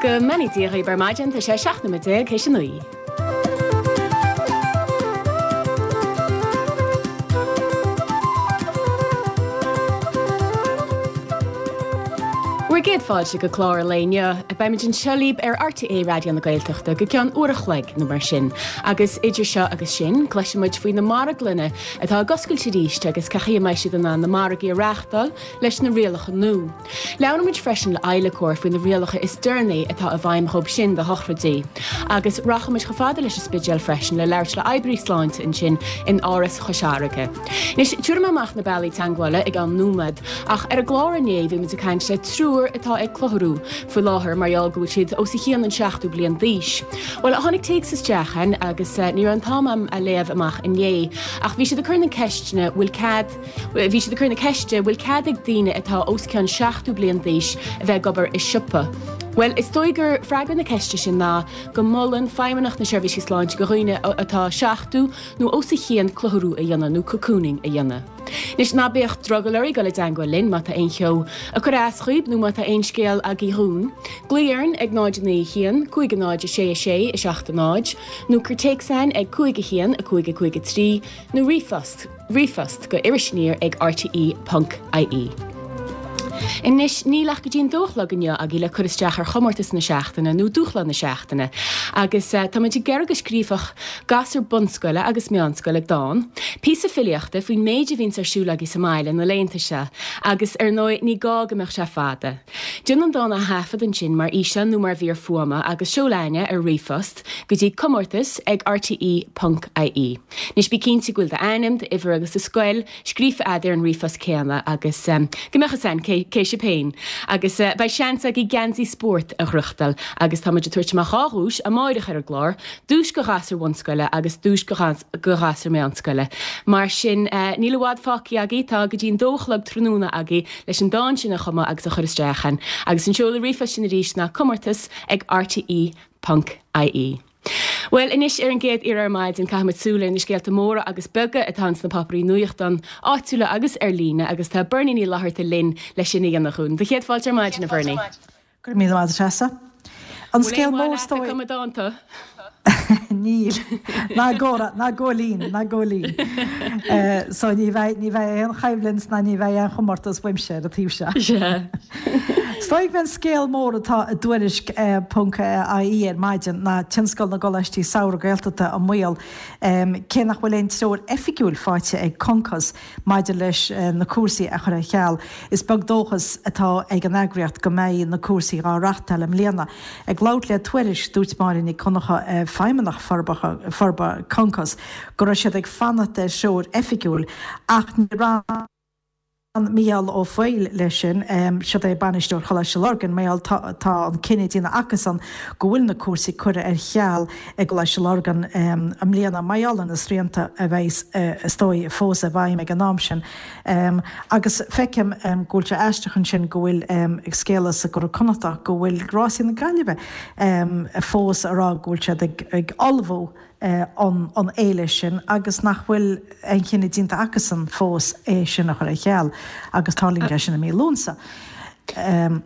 Go mbeannaí Dia dhaoibh ar maidin, tá sé 17 nóiméad théis a 9. Bhur gcéad fáilte go clár an lae inniu. Beimid anseo libh ar RTÉ Raidió na Gaeltachta go ceann uair a chloig nó mar sin. Agus idir seo agus sin, cloisfidh muid faoi na marglanna atá ag oscailt arís agus cén chaoi a mbeidh siad in ann na margaí a reáchtáil leis na rialacha nua. Labhróidh muid freisin le adhlacóir faoi na rialacha is deireanaí atá i bhfeidhm dhóibh sin do shochraidí. Agus rachaidh muid chomh fada leis an Spidéal freisin le labhairt le oibrí sláinte ansin in Áras Chois Fharraige. Anois, tabharfaidh mé amach na bealaí teagmhála i gceann nóiméad, ach ar an gclár inné bhí muid ag caint le triúr atá ag clutharú faoi láthair mar gheall go bhfuil siad os a chionn an seachtó bliain d'aois. Bhuel, tháinig téacs isteach againn agus ní raibh an t-am a'm a léamh amach inné, ach bhí siad ag cur na ceisteanna, bhfuil cead, Bhí siad ag cur na ceiste, bhfuil cead ag daoine atá os cionn 70 bliain d'aois a bheith ag obair i siopa? Bhuel, is dóigh gur freagra na ceiste sin ná go molann Feidhmeannacht na Seirbhísí Sláinte go dhaoine atá 70 nó os a chionn clutharú a dhéanamh nó cocooning a dhéanamh. Anois, ná bíodh drogall oraibh dul i dteangmháil linn má tá aon cheo ag cur as dhaoib nó má tá aon scéal agaibh dhúinn. Glaoigh orainn ag 0 9 1 5 0 6 6 7 0 nó cuir téacs againn ag 5 1 5 5 3 nó ríomhphost. ríomhphost go irisaniar ag rte ponc ie. Anois, níl ach go dtí an dó a chlog inniu agaibh le cur isteach ar chomórtas na seachtaine nó dúshlán na seachtaine agus táimid ag iarraidh go scríobhfadh gasúr bunscoile agus meánscoile dán, píosa filíochta faoin méid a bhíonns ar siúl agaibh sa mbaile na laethanta seo agus ar ndóigh ní gá go mbeadh sé fada. Déan an dán a thaifead ansin mar fhíseán nó mar mhír fuaime agus seol againn é ar ríomhphost go dtí comórtas ag rte ponc ie. Anois bí cinnte go bhfuil d'ainm, d'uimhir agus do scoil scríofa a'd ar an ríomhphost céanna agus go mbeadh fhios a'inn cé cé sibh féin. Agus beidh seans agaibh geansaí spóirt a ghnóthachtáil agus tá muid ag tabhairt amach 2 dhuais amáireach ar an gclár, duais go ghasúr bhunscoile agus duais go go ghasúr meánscoile. Mar sin níl i bhfad fágtha agaibh, tá go dtí an dó a chlog tráthnóna agaibh leis an dán sin a chumadh agus a chur isteach a'inn. Agus an seoladh ríomhphoist sin arís ná comórtas ag rte ponc ie. Bhuel, anois ar an gcéad iarraidh ar maidin, caithfidh muid súil ar na scéalta móra agus beaga atá ins na páipéirí nuachtán áitiúla agus ar líne agus tá Bernie Ní Fhlatharta linn leis sin a dhéanamh dhúinn. Do chéad fáilte ar maidin, a Bhernie. Go raibh míle maith agat, a Threasa. An scéal mór is dóigh. Bhfuil aon mhaith leat ag cumadh dánta? Níl. Ná gcomhrá, ná góilín, ná góilín. So ní bheidh, ní bheidh aon choimhlint ná ní bheidh aon chomórtas uaimse ar an taobh seo. Sea. Is dóigh gurb é an scéal mór atá i dTuairisc ponc ie ar maidin ná tionscal na gColáistí Samhraidh Gaeltachta i mbaol cé nach bhfuil aon treoir oifigiúil faighte ag Concos maidir leis na cúrsaí a chur ar ceal. Is beag dóchas atá ag an eagraíocht go mbeidh na cúrsaí dhá reáchtáil i mbliana. Ag labhairt le Tuairisc, dúirt Máire Nic Dhonncha, Feidhmeannach Forbartha Concos, go raibh siad ag fanacht ar threoir oifigiúil ach níor fhan Mícheál Ó Foighil leis sin. Siod é bainisteoir Choláiste Lurgan, mar gheall tá an cinneadh déanta acusan go bhfuil na cúrsaí curtha ar cheal i gColáiste Lurgan i mbliana mar gheall ar na srianta a bheidh is dóigh fós i bhfeidhm ag an am sin. Agus feicim go bhfuil sé aisteach ansin go bhfuil scéala sa gCuradh Connachtach go bhfuil Rásaí na Gaillimhe fós ag rá go bhfuil siad ag ullmhú an fhéile sin agus nach bhfuil aon chinneadh déanta acusan fós é sin a chur ar ceal agus tarlaíonn sé sin i mí Lúnasa.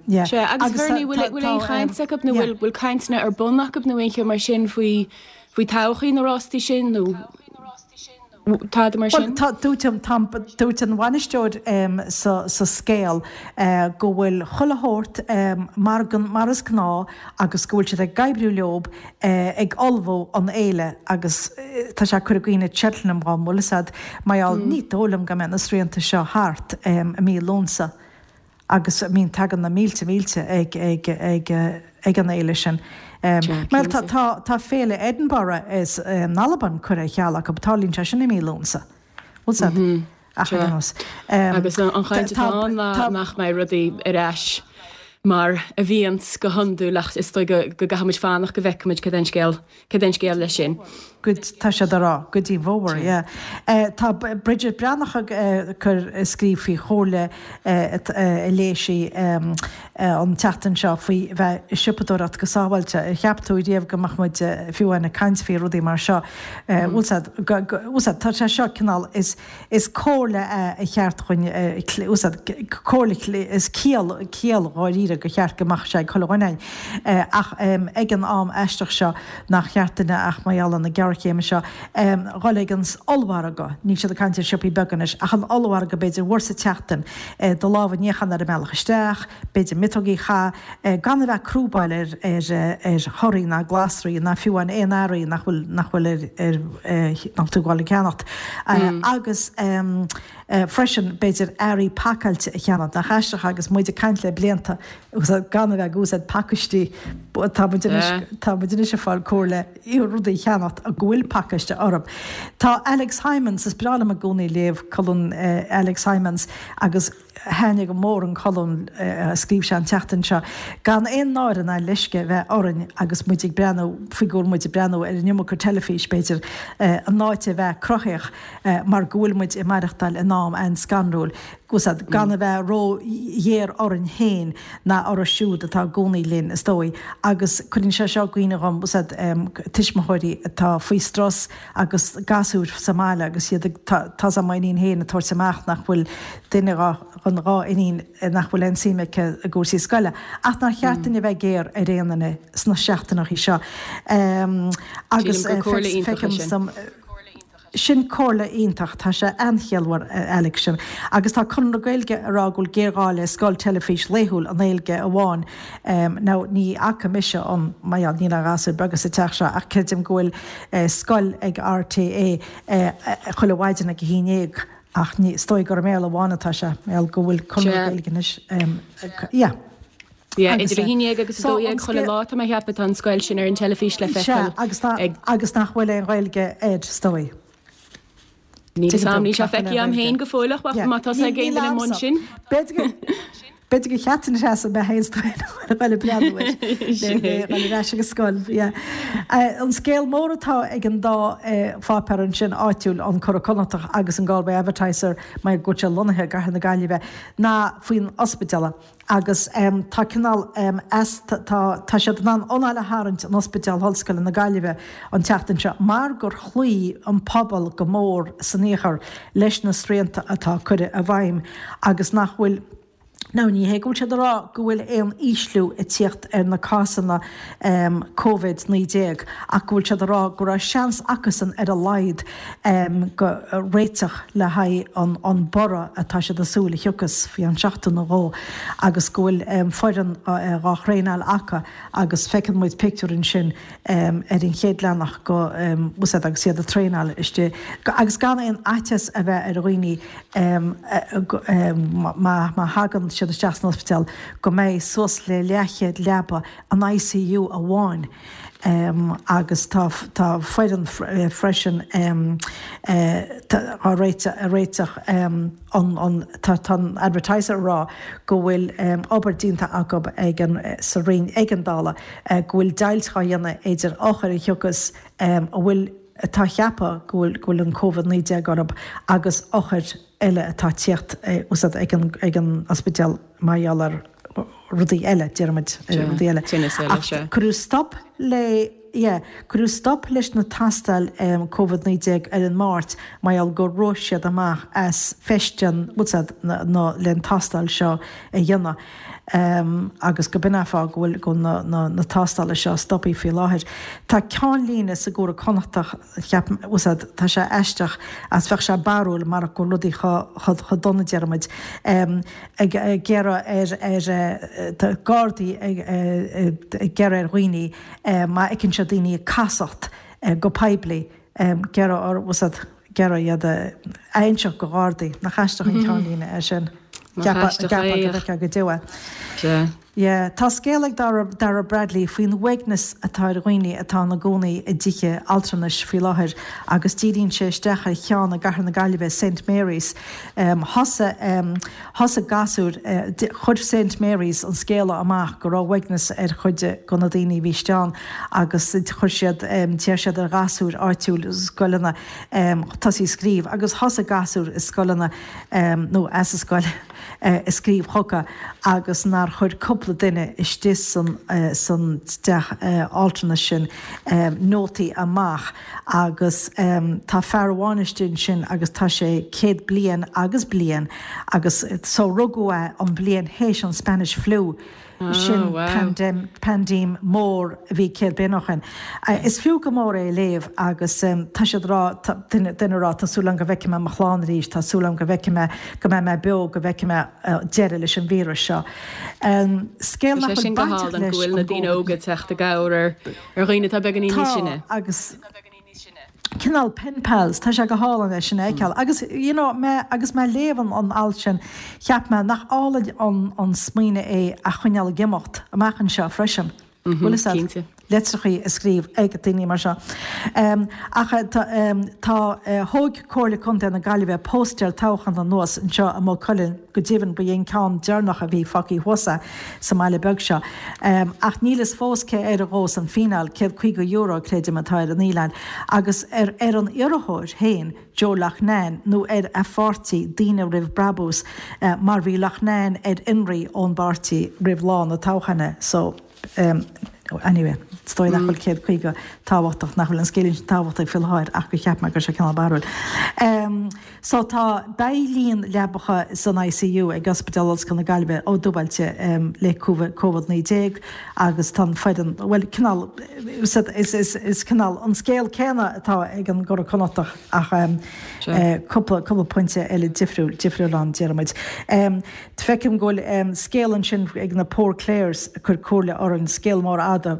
Yeah. Sea, agus Bernie, bhfuil aon chaint acu nó bhfuil cainteanna ar bun acu nó aon cheo mar sin faoi faoi todhchaí na rástaí sin nó tada mar sin? Bhuel, dúirt dúirt an bhainisteoir sa sa scéal go bhfuil chuile shórt mar mar is gnáth agus go bhfuil siad ag oibriú leob ag ullmhú an fhéile agus tá sé ag cur i gcuimhne Cheltenham dhom, bhfuil fhios a'd, mar gheall, ní dóigh liom go mbeidh na srianta seo thart i mí Lúnasa agus I mean tagann na mílte mílte ag ag ag ag an fhéile sin. Bhuel tá tá tá féile Edinburgh is in Albain curtha ar ceal acu, tarlaíonn sé sin i mí Lúnasa. Bhfuil fhios a'd? Ach ar aon nós. Agus an chaint atá ann ná nach mbeidh rudaí ar ais mar a bhíonns go hiondúil ach is dóigh go gcaithfidh muid fanacht go bhfeicfidh muid cad é an scéal, cad é an scéal leis sin. Go, tá siad ag rá, go dtí an bhfómhar, yeah. Tá Bridget Breathnach ag cur, ag scríobh faoi chomhairle a léigh sí an tseachtain seo faoi bheith ag siopadóireacht go sábháilte. Ar cheap tú riamh go mbeadh muid fiú amháin ag caint faoi rudaí mar seo? Bhfuil 's a'd, bhfuil 's a'd, tá sé seo cineál, is, Is comhairle é a cheart dhuinn úsáid, comhairle is ciall, ciall dháiríre gur cheart go mbeadh sé ag chuile dhuine againn. Ach ag an am aisteach seo nach cheart duine ach mar gheall ar na géarchéime seo dhul ag an ollmhargadh, níl siad ag caint ar siopaí beaga anois, ach an ollmhargadh b'fhéidir uair sa tseachtain, do lámha a níochán ar an mbealach isteach, b'fhéidir miotógaí a chaitheamh, gan a bheith ag crúbáil ar ar thorthaí ná glasraí ná fiú amháin aon earraí nach bhfuil nach bhfuil ar ar nach bhfuil tú ag gabháil a cheannacht. Agus freisin b'fhéidir earraí pacáilte a cheannacht. Nach aisteach agus muid ag caint le blianta gan a bheith ag úsáid pacáistí tá muid anois tá muid anois ag fáil comhairle rudaí a cheannacht go bhfuil pacáiste orthu. Tá Alex Hijmans, is breá liom i gcónaí léamh colún Alex Hijmans agus Thaitnigh go mór an colún a scríobh sé an tseachtain seo. Gan aon náire ná leisce a bheith orainn agus muid ag breathnú faoi go bhfuil muid ag breathnú ar an iomarca teilifís, b'fhéidir, in áit a bheith cruthaíoch mar go bhfuil muid ag maireachtáil in am an-scanrúil. Gan a bheith ró-ghéar orainn féin ná orthu siúd atá i gcónaí linn, is dóigh. Agus cuireann sé seo i gcuimhne dhom, tuismitheoirí atá faoi strus, agus gasúir sa mbaile agus iad ag, tá's a'm m'iníon féin ag tabhairt amach nach bhfuil duine dhá, den dhá iníon nach bhfuil aon suim aici i gcúrsaí scoile. Ach nár cheart duinn a bheith géar ar aon duine sna seachtaineachaí seo. Agus Sílim gur comhairle iontach é sin. Sin comhairle iontach, tá sé an-chiallmhar Alex sin. Agus tá Conradh na Gaeilge ag rá go bhfuil géarghá le scoil teilifís laethúil i nGaeilge amháin. Now ní fhaca mise an, mar gheall, níl aon ghasúir beaga sa teach seo ach creidim go bhfuil scoil ag RTÉ chuile mhaidin ag a haon dhéag ach ní, is dóigh gur i mBéarla amháin atá sé, mar gheall go bhfuil Conradh na Gaeilge anois, yeah. Yeah, idir a haon dhéag agus a dó dhéag chuile lá tá mé a cheapadh tá an scoil sin ar an teilifís le feiceáil ag. Agus nach bhfuil aon Ghaeilge air, is dóigh. Níl 'fhios a'm, níl sé feicthe a'm féin go fóill ach má tá ag aon duine i mbun sin. B'fhéidir gur cheart an seasamh mé féin a dhul ag breathnú air le dhul ar ais ag an scoil. An scéal mór atá ag an dá pháipéar ansin áitiúil, an Curadh Connachtach agus an Galway Advertiser, mar go bhfuil sé lonnaithe i gCathair na Gaillimhe, ná faoin ospidéal. Agus tá cineál as, tá, tá siad in ann anáil a tharraingt in Ospidéal Ollscoile na Gaillimhe an tseachtain seo mar gur chloígh an pobal go mór san iarthar leis na srianta atá curtha i bhfeidhm agus nach bhfuil, now ní hé go bhfuil siad ag rá go bhfuil aon ísliú ag tíocht ar na cásanna Covid 19 ach go bhfuil siad ag rá go raibh seans acusan ar a laghad go réiteach le haghaidh an borradh atá siad ag súil a thiocfas faoi cheann seachtain nó dhó agus go bhfuil foireann dhá thraenáil acu agus feiceann muid pictiúr ansin ar an chéad leathanach go bhfuil siad agus iad ag traenáil istigh agus gan aon fhaitíos a bheith ar dhaoine má thagann siad isteach san ospidéal go mbeidh suas le leathchéad leaba in ICU amháin agus tá tá foireann freisin á réiteach an an tá tá an Advertiser ag rá go bhfuil obair déanta acu ag an sa Roinn Éigeandála go bhfuil deighilt dhá dhéanamh idir othair a thiocfas a bhfuil atá á cheapadh go bhfuil go bhfuil an Covid-19 orthu agus othair eile atá ag tíocht ag an ag an ospidéal mar gheall ar rudaí eile, déarfaimid, rudaí eile. Tinneas eile, Ach sea. cuireadh stop le, yeah, cuireadh stop leis na tástáil Covid-19 ar an Máirt mar gheall gur rith siad amach as feistean, bhfuil 's a'd, na, na, le an tástáil seo a dhéanamh. Agus go b'in an fáth go bhfuil, go bhfuil na, na, na tástála seo stopthaí faoi láthair. Tá ceannlíne sa gCuradh Connachtach, Cheap, bhfuil 's a'd, tá sé aisteach, as bheadh sé barrúil marach go bhfuil rudaí chomh dona, déarfaimid, ag iarraidh ar, ar, tá Gardaí ag iarraidh ar dhaoine, má fheiceann siad daoine ag casacht go poiblí, iarraidh orthu, bhfuil 's a'd, iarraidh iad a inseacht go Ghardaí. Nach aisteach an ceannlíne é sin? Nach aisteach é. Cheapfá go bhfeicfeá go deo é. Sea. Yeah. Tá scéal ag Dara, Dara Bradley faoin uaigneas atá ar dhaoine atá ina gcónaí i dtithe altranais faoi láthair agus díríonn sé isteach ar cheann i gcathair na Gaillimhe, Saint Mary's. Thosaigh, thosaigh gasúir, chuir Saint Mary's an scéala amach go raibh uaigneas ar chuid de na daoine a bhí istigh ann agus chuir siad, d'iarr siad ar ghasúir áitiúil scoileanna tosaí ag scríobh agus thosaigh gasúir i scoileanna nó as an scoil, ag scríobh chucu agus nár chuir cúpla duine istigh san san teach altranais sin nótaí amach agus tá fear amháin istigh ansin agus tá sé 100 bliain agus bliain agus so rugadh é an bhliain théis an Spanish Flu Sin paindéim mór a bhí 100 bliain ó shin. Is fiú go mór é a léamh agus tá siad ag rá, duine ag rá, tá súil agam go bhfeicfidh mé mo chlann arís, tá súil agam go bhfeicfidh mé, go mbeidh mé beo, go bhfeicfidh mé deireadh leis an víreas seo. Scéal nach bhfuil bainteach leis an gCovid. Tá sé sin go hálainn go bhfuil na daoine óga ag teacht i gcabhair ar dhaoine atá beagáinín níos sine. Tá agus. cineál pen pals, tá sé go hálainn é sin a fheiceáil. Agus you know mé agus mé ag léamh an an alt sin, cheap mé nach álainn an an smaoineamh é a choinneáil ag imeacht amach anseo freisin. Bhfuil fhios a'd? Cinnte. Litreachaí a scríobh ag daoine mar seo. Ach tá tá thóg Comhairle Contae na Gaillimhe póstaer toghcháin anuas anseo i Maigh Cuilinn, Go deimhin, ba é an ceann deireanach a bhí fágtha thuas é sa mbaile beag seo. Ach níl fhios fós cé air a ghabhfas an fíneáil, €150, creidim, atá ar an fhíneáil, agus ar ar an iarrthóir féin, Joe Loughnane, nó ar a pháirtí, Daoine Roimh Brabús, mar bhí Loughnane ar fionraí ón bpáirtí roimh lá na toghcháin. So, anyway, is dóigh nach bhfuil 150 tábhachtach, nach bhfuil an scéilín sin tábhachtach faoi láthair ach gur cheap mé go raibh sé cineál barrúil. So tá, beidh líon leapacha san ICU ag Ospidéal Ollscoil na Gaillimhe á dúbailte le Covid-19 agus tá an foireann, bhuel cineál, is, is, is cineál an scéal céanna atá ag an gCuradh Connachtach ach cúpla, cúpla pointe eile difriúil, difriúil ann déarfaidh muid. Feicim go bhfuil scéal ansin ag na Poor Clares ag cur comhairle orainn, scéal mór fhada,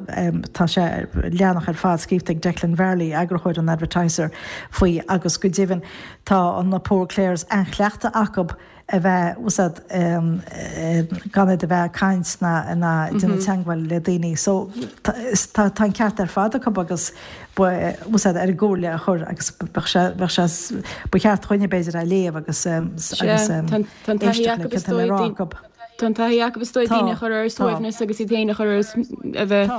tá sé leathanach ar fad scríofa ag Declan Varley, eagarthóir an Advertiser, faoi agus go deimhin tá na Poor Clares an-chleachtadh acu a bheith, bhfuil fhios a'd, gan iad a bheith ag caint ná ná ag déanamh teagmháil le daoine. So tá tá an ceart ar fad acu agus ba, bhfuil fhios a'd, ar an gcomhairle a chur agus bheadh sé, bheadh sé, ba cheart dhuine b'fhéidir é a léamh agus agus. Tá an taithí acu is dóigh Tá an taithí acu is dóigh daoine a chur ar a suaimhneas agus iad féin a chur ar a bheith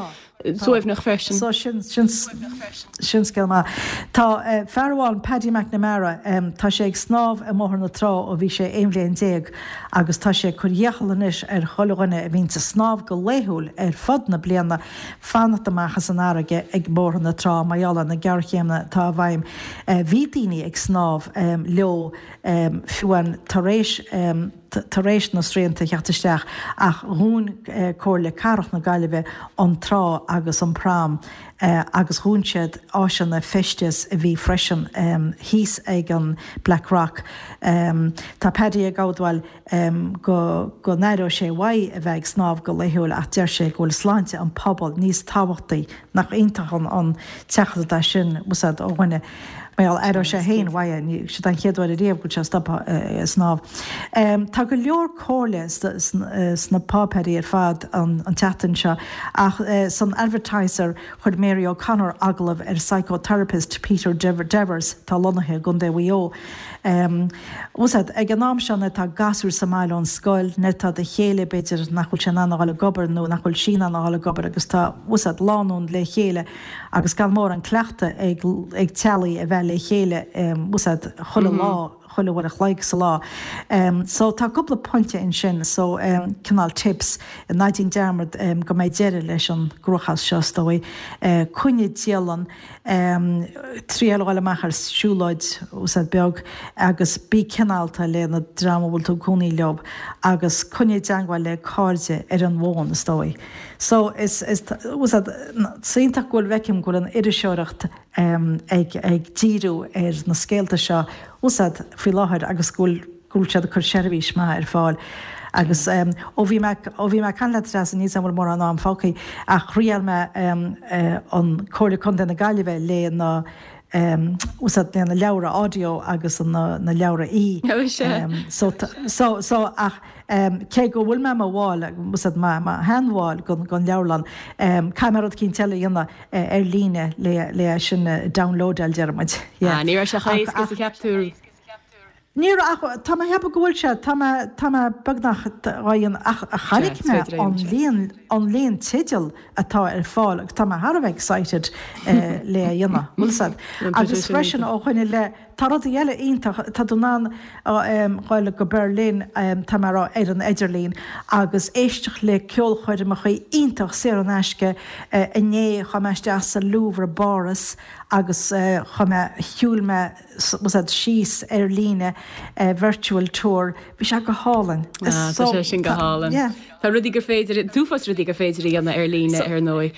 suaimhneach freisin. So sin sin sin scéal maith. Tá fear amháin, Paddy McNamara, tá sé ag snámh i mBóthar na Trá ó bhí sé 11 bhliain agus tá sé ag cur iachall anois ar chuile dhuine a bhíonns ag snámh go laethúil ar fud na bliana fanacht amach as an fharraige ag Bóthar na Trá mar gheall ar na géarchéimeanna atá i bhfeidhm. Bhí daoine ag snámh leo fiú amháin tar éis tar éis na srianta a theacht isteach ach dhún Comhairle Cathrach na Gaillimhe an trá agus an prom agus dhún siad áiseanna feisteas a bhí freisin thíos ag an Black Rock. Tá Paddy ag admháil go go n-aireodh sé uaidh a bheith ag snámh go laethúil ach deir sé go bhfuil sláinte an phobail níos tábhachtaí Nach iontach an teachtaireacht é sin, bhfuil fhios a'd, ó dhuine. Mar gheall, aireoidh sé féin uaidh é, siod é an chéad uair ariamh go bhfuil sé stoptha ag snámh. Tá go leor comhairle sna páipéirí ar fad an tseachtain seo ach san Advertiser chuir Mary O'Connor agallamh ar psychotherapist Peter Devers atá lonnaithe i gContae Mhaigh Eo. Bhfuil fhios a'd, ag an am seo nuair atá gasúir sa mbaile ón scoil, nuair atá do chéile, b'fhéidir, nach bhfuil sé in ann a dhul ag obair nó nach bhfuil sí in ann a dhul ag obair agus tá, bhfuil fhios a'd, lánúin le chéile agus gan mórán cleachtadh ag, ag teaghlaigh a bheith le chéile, bhfuil fhios a'd, chuile lá, chuile uair a chloig sa lá. So tá cúpla pointe ansin, so cineál tips, ná déan dearmad go mbeidh deireadh leis an gcruachás seo is dóigh, coinnigh dialann, Triail a dhul amach ar siúlóid, bhfuil fhios a'd, beag agus bí cineálta le na dream a bhfuil tú ag cónaí leo agus coinnigh i dteangmháil le cairde ar an bhfón is dóigh. So is, is, bhfuil fhios a'd, is iontach go bhfuil, feicim go bhfuil an iriseoireacht ag, ag díriú ar na scéalta seo, bhfuil fhios a'd, faoi láthair agus go bhfuil, go bhfuil siad ag cur seirbhís maith ar fáil agus ó bhí mé, ó bhí mé ag caint leat Treasa, níl 's a'm an bhfuil mórán am fágtha ach thriail mé an Comhairle Contae na Gaillimhe le na. Úsáid na leabhra audio agus na leabhra e. So so so ach cé go bhfuil mé i mo bhall, úsáid mo sheanbhall den leabharlann, caithfidh mé rud eicínt eile a dhéanamh ar líne le le é sin a downloadáil, deir muid. Yeah. Ní raibh sé chomh héasca is a cheap tú. Ní raibh ach tá mé ag ceapadh go bhfuil sé, tá mé, tá mé beagnach á dhéanamh ach chonaic mé an líon, an líon teideal atá ar fáil agus tá mé thar a bheith excited le a dhéanamh, bhfuil 's a'd. Agus freisin ó shoin i leith, tá rudaí eile iontach, tá tú in ann dhul go Berlin, tá mé a rá, ar an idirlíon agus éisteacht le ceolchoirmeacha iontach saor in aisce. Inné chuaigh mé isteach sa Louvre i bPáras agus chuaigh mé, shiúil mé, bhfuil 's a'd síos ar líne virtual tour bhí sé go hálainn. Ah, tá sé sin go hálainn. Yeah. Tá rudaí gur féidir, an t-uafás rudaí gur féidir a dhéanamh ar líne ar ndóigh.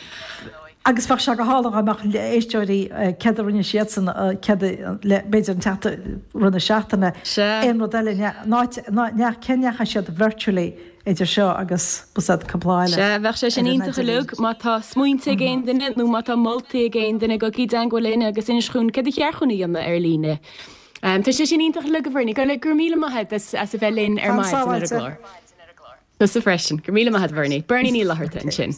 Agus bheadh sé go hálainn dá mbeadh éisteoirí céard a rinne siadsan céard le b'fhéidir an tseachtain rith na seachtaine aon rud eile neach cé ndeachaigh siad virtually idir seo agus bhfuil 's a'd cúpla eile. Sea, bheadh sé sin iontach uilig má tá smaointe ag aon duine nó má tá moltaí ag aon duine gabhaigí i dteangmháil linn agus inis chugainn céard a cheart dhúinn a dhéanamh ar líne. Tá sé sin iontach uilig a Bhernie. Go raibh míle maith agat as a bheith linn ar Fan maidin ar an sábháilte. gclár. Tusa freisin. Go raibh míle maith agat a Bhernie. Bernie Ní Fhlatharta ansin.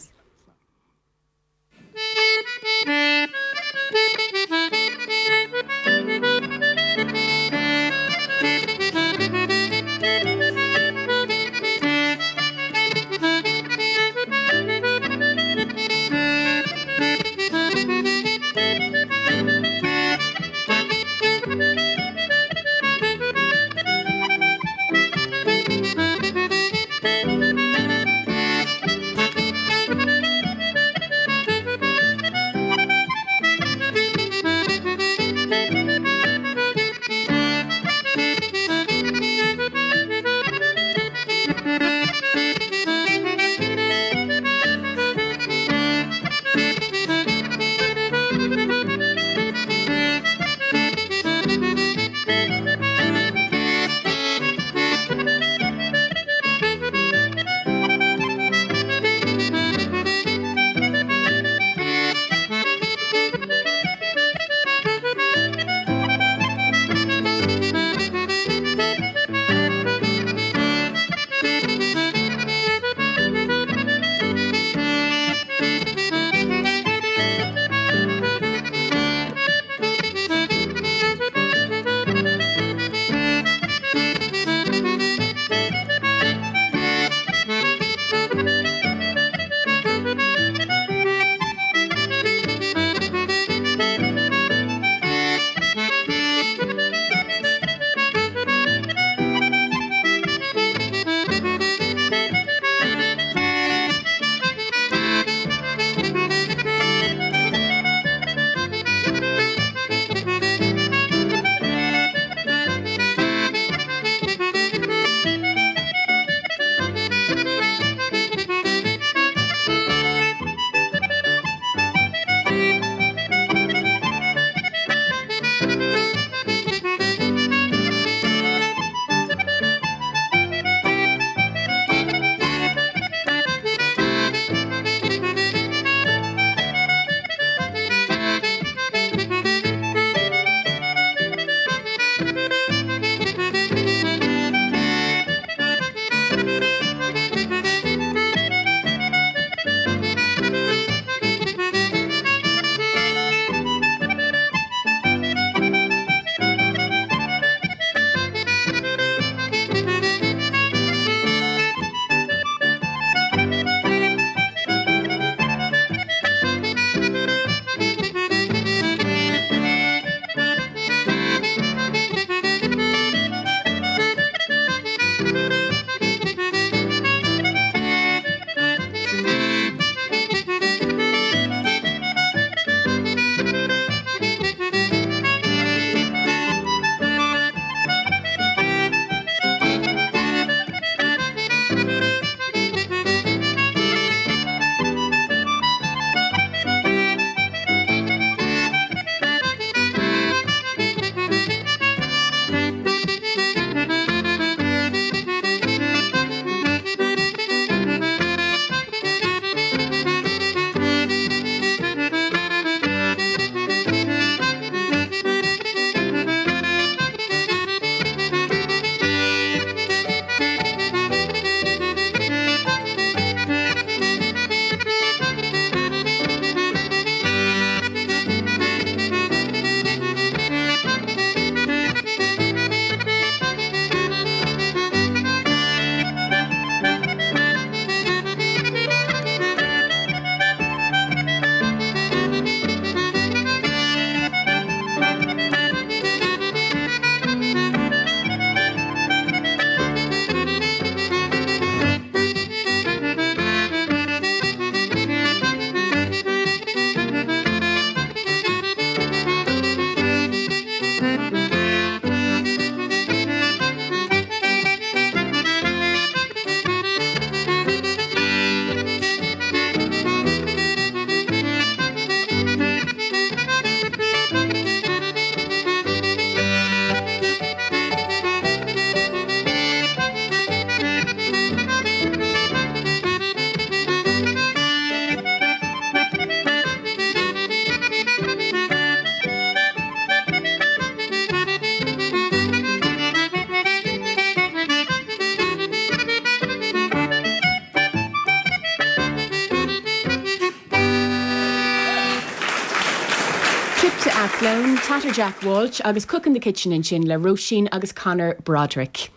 Athlone, Tatter Jack Walsh agus Cook in the Kitchen ansin le Róisín agus Conor Broderick.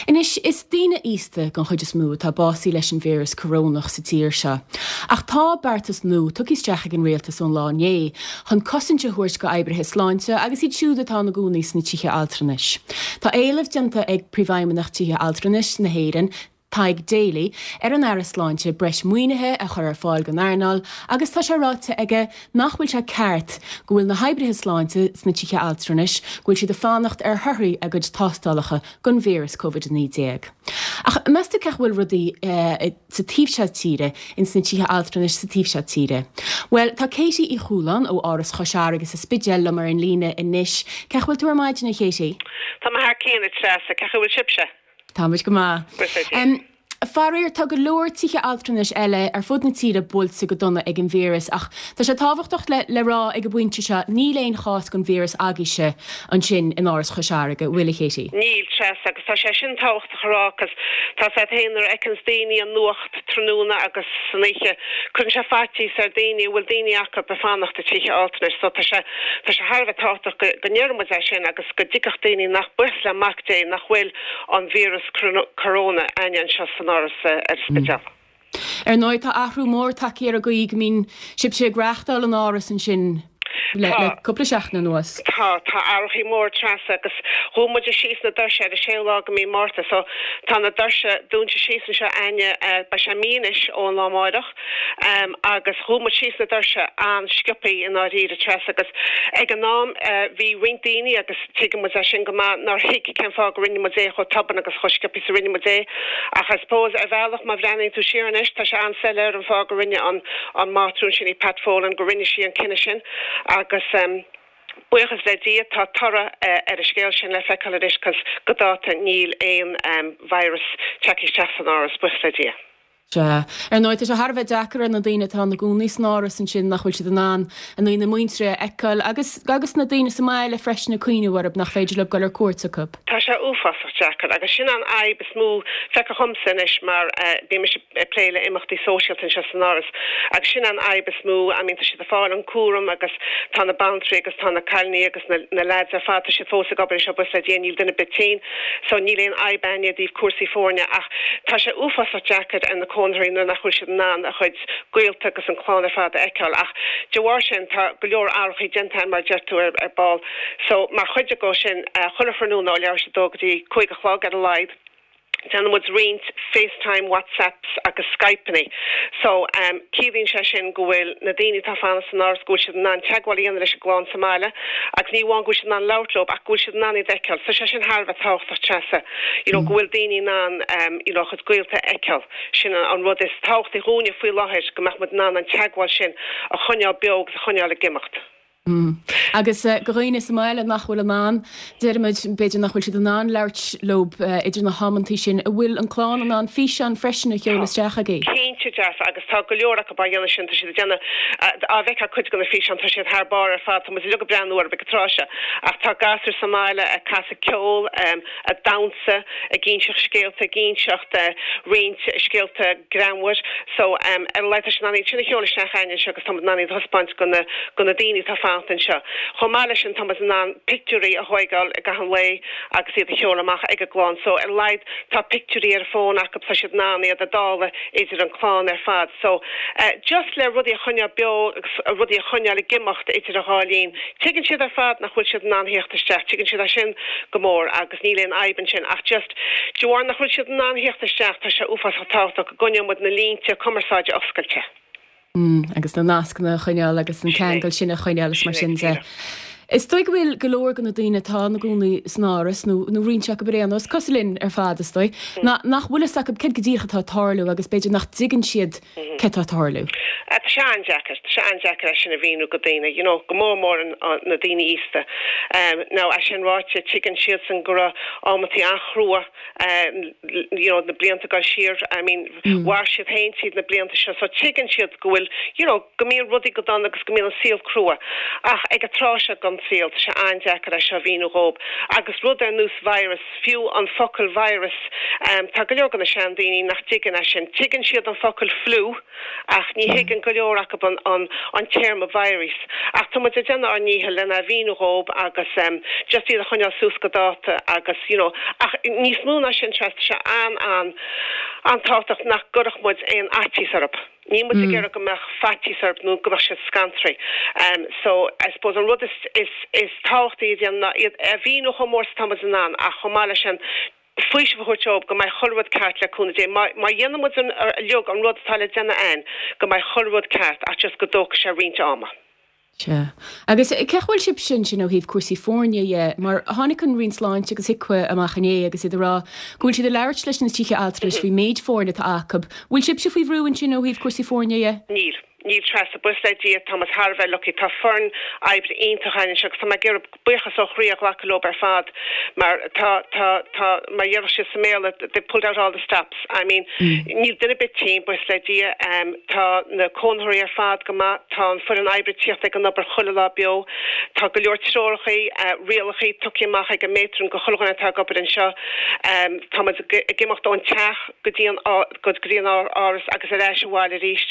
Anois, is daoine aosta den chuid is mó atá básaithe leis an víreas corónach sa tír seo. Ach tá beartas nua tugtha isteach ag an rialtas ón lá inné chun cosaint a thabhairt go oibrithe sláinte agus iad siúd atá ina gcónaí sna tithe altranais. Tá éileamh déanta ag Príomhfheidhmeannach Tithe Altranais na hÉireann, Tadhg Daly, ar an Aire Sláinte breis maoinithe a chur ar fáil don earnáil agus tá sé ráite aige nach bhfuil sé ceart go bhfuil na hoibrithe sláinte sna tithe altranais go bhfuil siad ag fanacht ar thorthaí a gcuid tástálacha don víreas Covid-19. Ach meas tú cén chaoi a bhfuil rudaí sa taobh seo tíre, ins na tithe altranais sa taobh seo tíre? Bhuel, tá Katie Uí Chualáin ó Áras Chois Fharraige sa Spidéal liom ar an líne anois. Cén chaoi a bhfuil tú ar maidin, a Katie? Tá mé thar cionn, a Treasa. Cén chaoi a bhfuil sibhse? Táimid go maith. Faraor, tá go leor tithe altranais eile ar fud na tíre buailte go dona ag an víreas ach tá sé tábhachtach le rá ag an bpointe seo, níl aon chás den víreas agaibhse ansin in Áras Chois Fharraige, bhfuil, a Katie? Níl, Treasa, agus tá sé sin tábhachtach a rá 'cause tá 's agat féin nuair a fheiceanns daoine an nuacht tráthnóna agus san oíche, cuireann sé faitíos ar daoine a bhfuil daoine acu ag fanacht i tithe altranais so tá sé tá sé thar a bheith tábhachtach go go ndeireann muid é sin agus go dtuigfeadh daoine nach, buíochas le Mac Dé, nach bhfuil an víreas coróna againne anseo san Áras ar an Spidéal. Ar ndóigh, tá athrú mór tagtha ar an gcaoi go mbíonn sibhse ag reáchtáil an Áras ansin le cúpla seachtain anuas. Tá, tá athrachaí mór, Treasa, agus dhún muide síos na doirse ar an séú lá de mí Márta, so tá na doirse dúnta síos anseo a'inne, beidh sé mí anois ón lá amáireach, agus dhún muid síos na doirse an-sciobthaí i ndáiríre, Treasa, agus ag an am bhí roinnt daoine, agus tuigeann muid é sin go maith, nár thuig cén fáth go rinne muid é chomh tobann agus chomh sciobthaí is a rinne muid é. Ach I suppose ar bhealach má bhreathnaíonn tú siar anois tá sé an-soiléir an fáth go rinne an an mátrún sin í Pat Folan go rinne sí an cinneadh sin agus buíochas le Dia tá toradh ar an scéal sin le feiceáil anois 'cause go dáta níl aon virus tagtha isteach san Áras, buíochas le Dia. Sea. Ar ndóigh, tá sé thar a bheith deacair ar na daoine atá ina gcónaí san áras ansin nach bhfuil siad in ann a ndaoine muinteartha a fheiceáil agus agus na daoine sa mbaile freisin ag cuimhneamh orthu nach féidir leo dul ar cuairt acu. Tá sé uafásach deacair agus sin an fhadhb is mó feicthe dhomsa anois mar bíonn mise ag plé le imeachtaí sóisialta anseo san áras agus sin an fhadhb is mó, I mean tá siad ag fáil an cúram agus tá na baintrí agus tá na cailíní agus na na leaids ar fad tá siad fós ag obair anseo buíochas le Dia níl duine ar bith tinn. So níl aon fhadhb a'inne i dtaobh cúrsaí foirne ach tá sé uafásach deacair ar na cónaitheoirí nuair nach bhfuil siad in ann a chuid gaolta agus an clann ar fad a fheiceáil ach de bharr sin tá go leor athrachaí déanta a'inn mar a deir tú ar ar ball. So mar chuid de sin chuile thráthnóna ó leathuair tar éis a dó go dtí 5 a chlog ar a laghad déanann muid roinnt FaceTime, WhatsApps agus Skypeannaí. So ciallaíonn sé sin go bhfuil na daoine atá ag fanacht san áras go bhfuil siad in ann teagmháil a dhéanamh leis an gclann sa mbaile agus ní amháin go bhfuil siad in ann labhairt leo ach go bhfuil siad in ann iad a fheiceáil. So sé sin thar a bheith tábhachtach Treasa, you know go bhfuil daoine in ann you know a chuid gaolta a fheiceáil. Sin an rud is tábhachtaí dhúinne faoi láthair go mbeadh muid in ann an teagmháil sin a choinneáil beo agus a choinneáil ag imeacht. Agus do dhaoine sa mbaile nach bhfuil in ann, deirimid, b'fhéidir nach bhfuil siad in ann labhairt leo idir na hamantaí sin, an bhfuil an clann in ann físeáin freisin a sheoladh isteach chugaibh? Cinnte dearfa, agus tá go leor acu á dhéanamh sin, tá siad ag déanamh, á bhfeicfeá cuid de na físeáin, tá siad thar barr ar fad, tá muid uilig ag breathnú orthu ag an tráth seo, ach tá gasúir sa mbaile ag casadh ceol, ag damhsa, ag inseacht scéalta, ag inseacht roinnt scéalta greannmhar. So, ar a laghad tá siad in ann iad sin a sheoladh isteach a'inne anseo agus tá muid in ann iad a thaispeáint go na, go na daoine atá ag fanacht anseo. Chomh maith leis sin tá muid in ann pictiúirí a thóigeáil i gcaitheamh an lae agus iad a sheoladh amach ag an gclann. So, ar a laghad tá pictiúirí ar an bhfón acu, tá siad in ann iad a dáileadh idir an clann ar fad. So, just le rudaí a choinneáil beo agus rudaí a choinneáil ag imeacht idir an dhá linn. Tuigeann siad ar fad nach bhfuil siad in ann theacht isteach, tuigeann siad é sin go mór agus níl aon fhadhb ansin ach just de bharr nach bhfuil siad in ann theacht isteach tá sé uafásach tábhachtach go gcoinneoidh muid na línte cumarsáide oscailte. Agus na nascanna a choinneáil agus an ceangal sin a choinneáil is mar sin de. Is dóigh go bhfuil go leor de na daoine atá ina gcónaí san áras nó nó roinnt acu ar aon nós, cosúil linn ar fad is dóigh, nach bhfuil fhios acu céard go díreach atá ag tarlú agus b'fhéidir nach dtuigeann siad céard atá ag tarlú. Tá sé an-deacair, tá sé an-deacair é sin a mhíniú go daoine, you know, go mór mór na daoine aosta. Now, é sin ráite, tuigeann siadsan go raibh amantaí an-chrua, you know, na blianta ag dul siar, I mean, mhair siad féin tríd na blianta seo, so tuigeann siad go bhfuil, you know, go mbíonn rudaí go dona agus go mbíonn an saol crua. Ach ag an tráth seo den. don saol, tá sé an-deacair é seo a mhíniú dhób. Agus rud ar nós virus, fiú an focal virus, tá go leor de na seandaoine nach dtuigeann é sin. Tuigeann siad an focal flu ach ní thuigeann go leor acu an an téarma virus. Ach tá muid ag déanamh ár ndícheall lena mhíniú dhób agus just iad a choinneáil suas go dáta agus you know ach níos mó ná sin Treasa, tá sé an-an an-tábhachtach nach gcuirfeadh muid aon fhaitíos orthu. Níl muid ag iarraidh go mbeadh faitíos orthu nó go mbeadh siad scantraithe. So, I suppose an rud is, is, is tábhachtaí a dhéanamh ná iad a mhíniú chomh mór is atá muid in ann ach chomh maith leis sin faoiseamh a thabhairt dóibh go mbeidh chuile rud ceart le cúnamh Dé. Má, má dhéanann muid an, uilig an rud atá le déanamh a'ainn go mbeidh chuile rud ceart ach just go dtógfaidh sé roinnt ama. Sea. Agus cén chaoi a bhfuil sibhse ansin ó thaobh cúrsaí foirne dhe? Mar tháinig an Roinn Sláinte agus HIQA amach inné agus iad ag rá go bhfuil siad ag labhairt leis na tithe altranais faoin méid foirne atá acu. Bhfuil sibhse faoi bhrú ansin ó thaobh cúrsaí foirne dhe? Níl. Níl Treasa. Buíochas le Dia, tá muid thar a bheith lucky. Tá foireann oibre iontach againn anseo agus tá mé ag iarraidh buíochas ó chroí a ghlacadh leo ar fad mar tá, tá, tá, mar a déarfadh siad sa mBéarla, they've pulled out all the stops. I mean, níl duine ar bith tinn, buíochas le Dia. Tá na cónaitheoirí ar fad go maith, tá an foireann oibre ag tíocht ag an obair chuile lá beo. Tá go leor treorachaí, rialachaí tugtha amach ag an matron go chuile dhuine atá ag obair anseo. Tá muid ag imeacht ón teach go dtí an, go dtí an áras agus ar ais abhaile arís.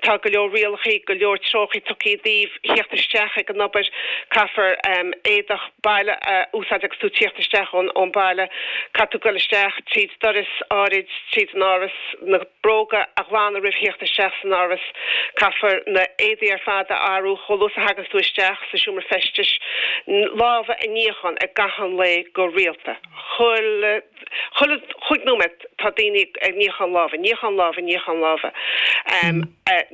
Tá go leor rialachaí, go leor treorachaí tugtha i dtaobh thíocht isteach ag an obair. Caithfear éadach baile a úsáid agus tú tíocht isteach ón baile. Caithfidh tú goil isteach tríd doras áirid tríd an áras, na bróga a ghlanadh roimh thíocht isteach san áras. Caithfear na éadaí ar fad a athrú chomh luath is a thaganns tú isteach sa seomra feistis. Lámha a níochán i gcaitheamh an lae go rialta. Chuile chuile chúig nóiméad tá daoine ag níochán lámha, níochán lámha, níochán lámha.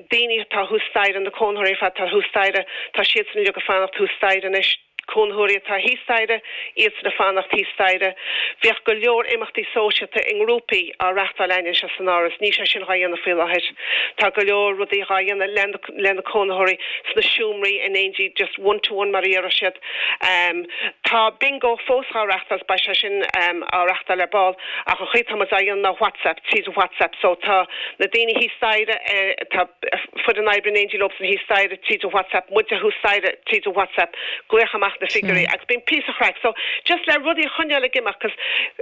Daoine atá thuas staighre, na cónaitheoirí ar fad atá thuas staighre, tá siadsan uilig ag fanacht thuas staighre anois. Cónaitheoirí atá thíos staighre, iadsan ag fanacht thíos staighre. Bhíodh go leor imeachtaí sóisialta i ngrúpaí á reachtáil againn anseo san Áras, níl sé sin dhá dhéanamh faoi láthair. Tá go leor rudaí dhá dhéanamh le na cónaitheoirí sna seomraí in éindí, just one to one mar a déarfadh siad. Tá bingo fós dhá reachtáil is beidh sé sin á reachtáil ar ball ach an chaoi atá muid á dhéanamh ná WhatsApp, tríd an WhatsApp so tá na daoine thíos staighre, tá foireann oibre in éindí leobsan thíos staighre tríd an WhatsApp, muide thuas staighre tríd an WhatsApp, glaoch amach na figiúirí agus bíonn píosa chraic so just le rudaí a choinneáil ag imeacht 'cause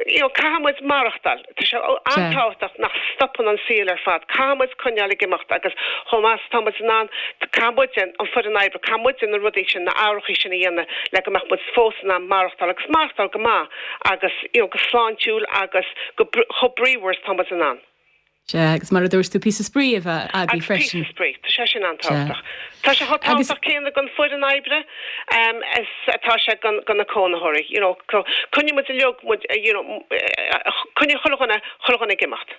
you know caithfidh muid maireachtáil. Tá sé an-tábhachtach nach stopann an saol ar fad. Caithfidh muid coinneáil ag imeacht agus chomh maith is atá muid in ann, caithfidh muide, an foireann oibre, caithfidh muide na rudaí sin, na hathruithe sin a dhéanamh le go mbeadh muid fós in ann maireachtáil agus maireachtáil go maith agus you know go sláintiúil agus go chomh bríomhar is atá muid in ann. Sea, agus mar a dúirt tú, píosa spraoi a bheith agaibh freisin. Agus píosa spraoi, tá sé sin an-tábhachtach. Tá sé chomh tábhachtach céanna don foireann oibre is atá sé do na cónaitheoirí, you know. Coinneoidh muid uilig muid, you know, coinneoidh chuile dhuine, chuile dhuine ag imeacht.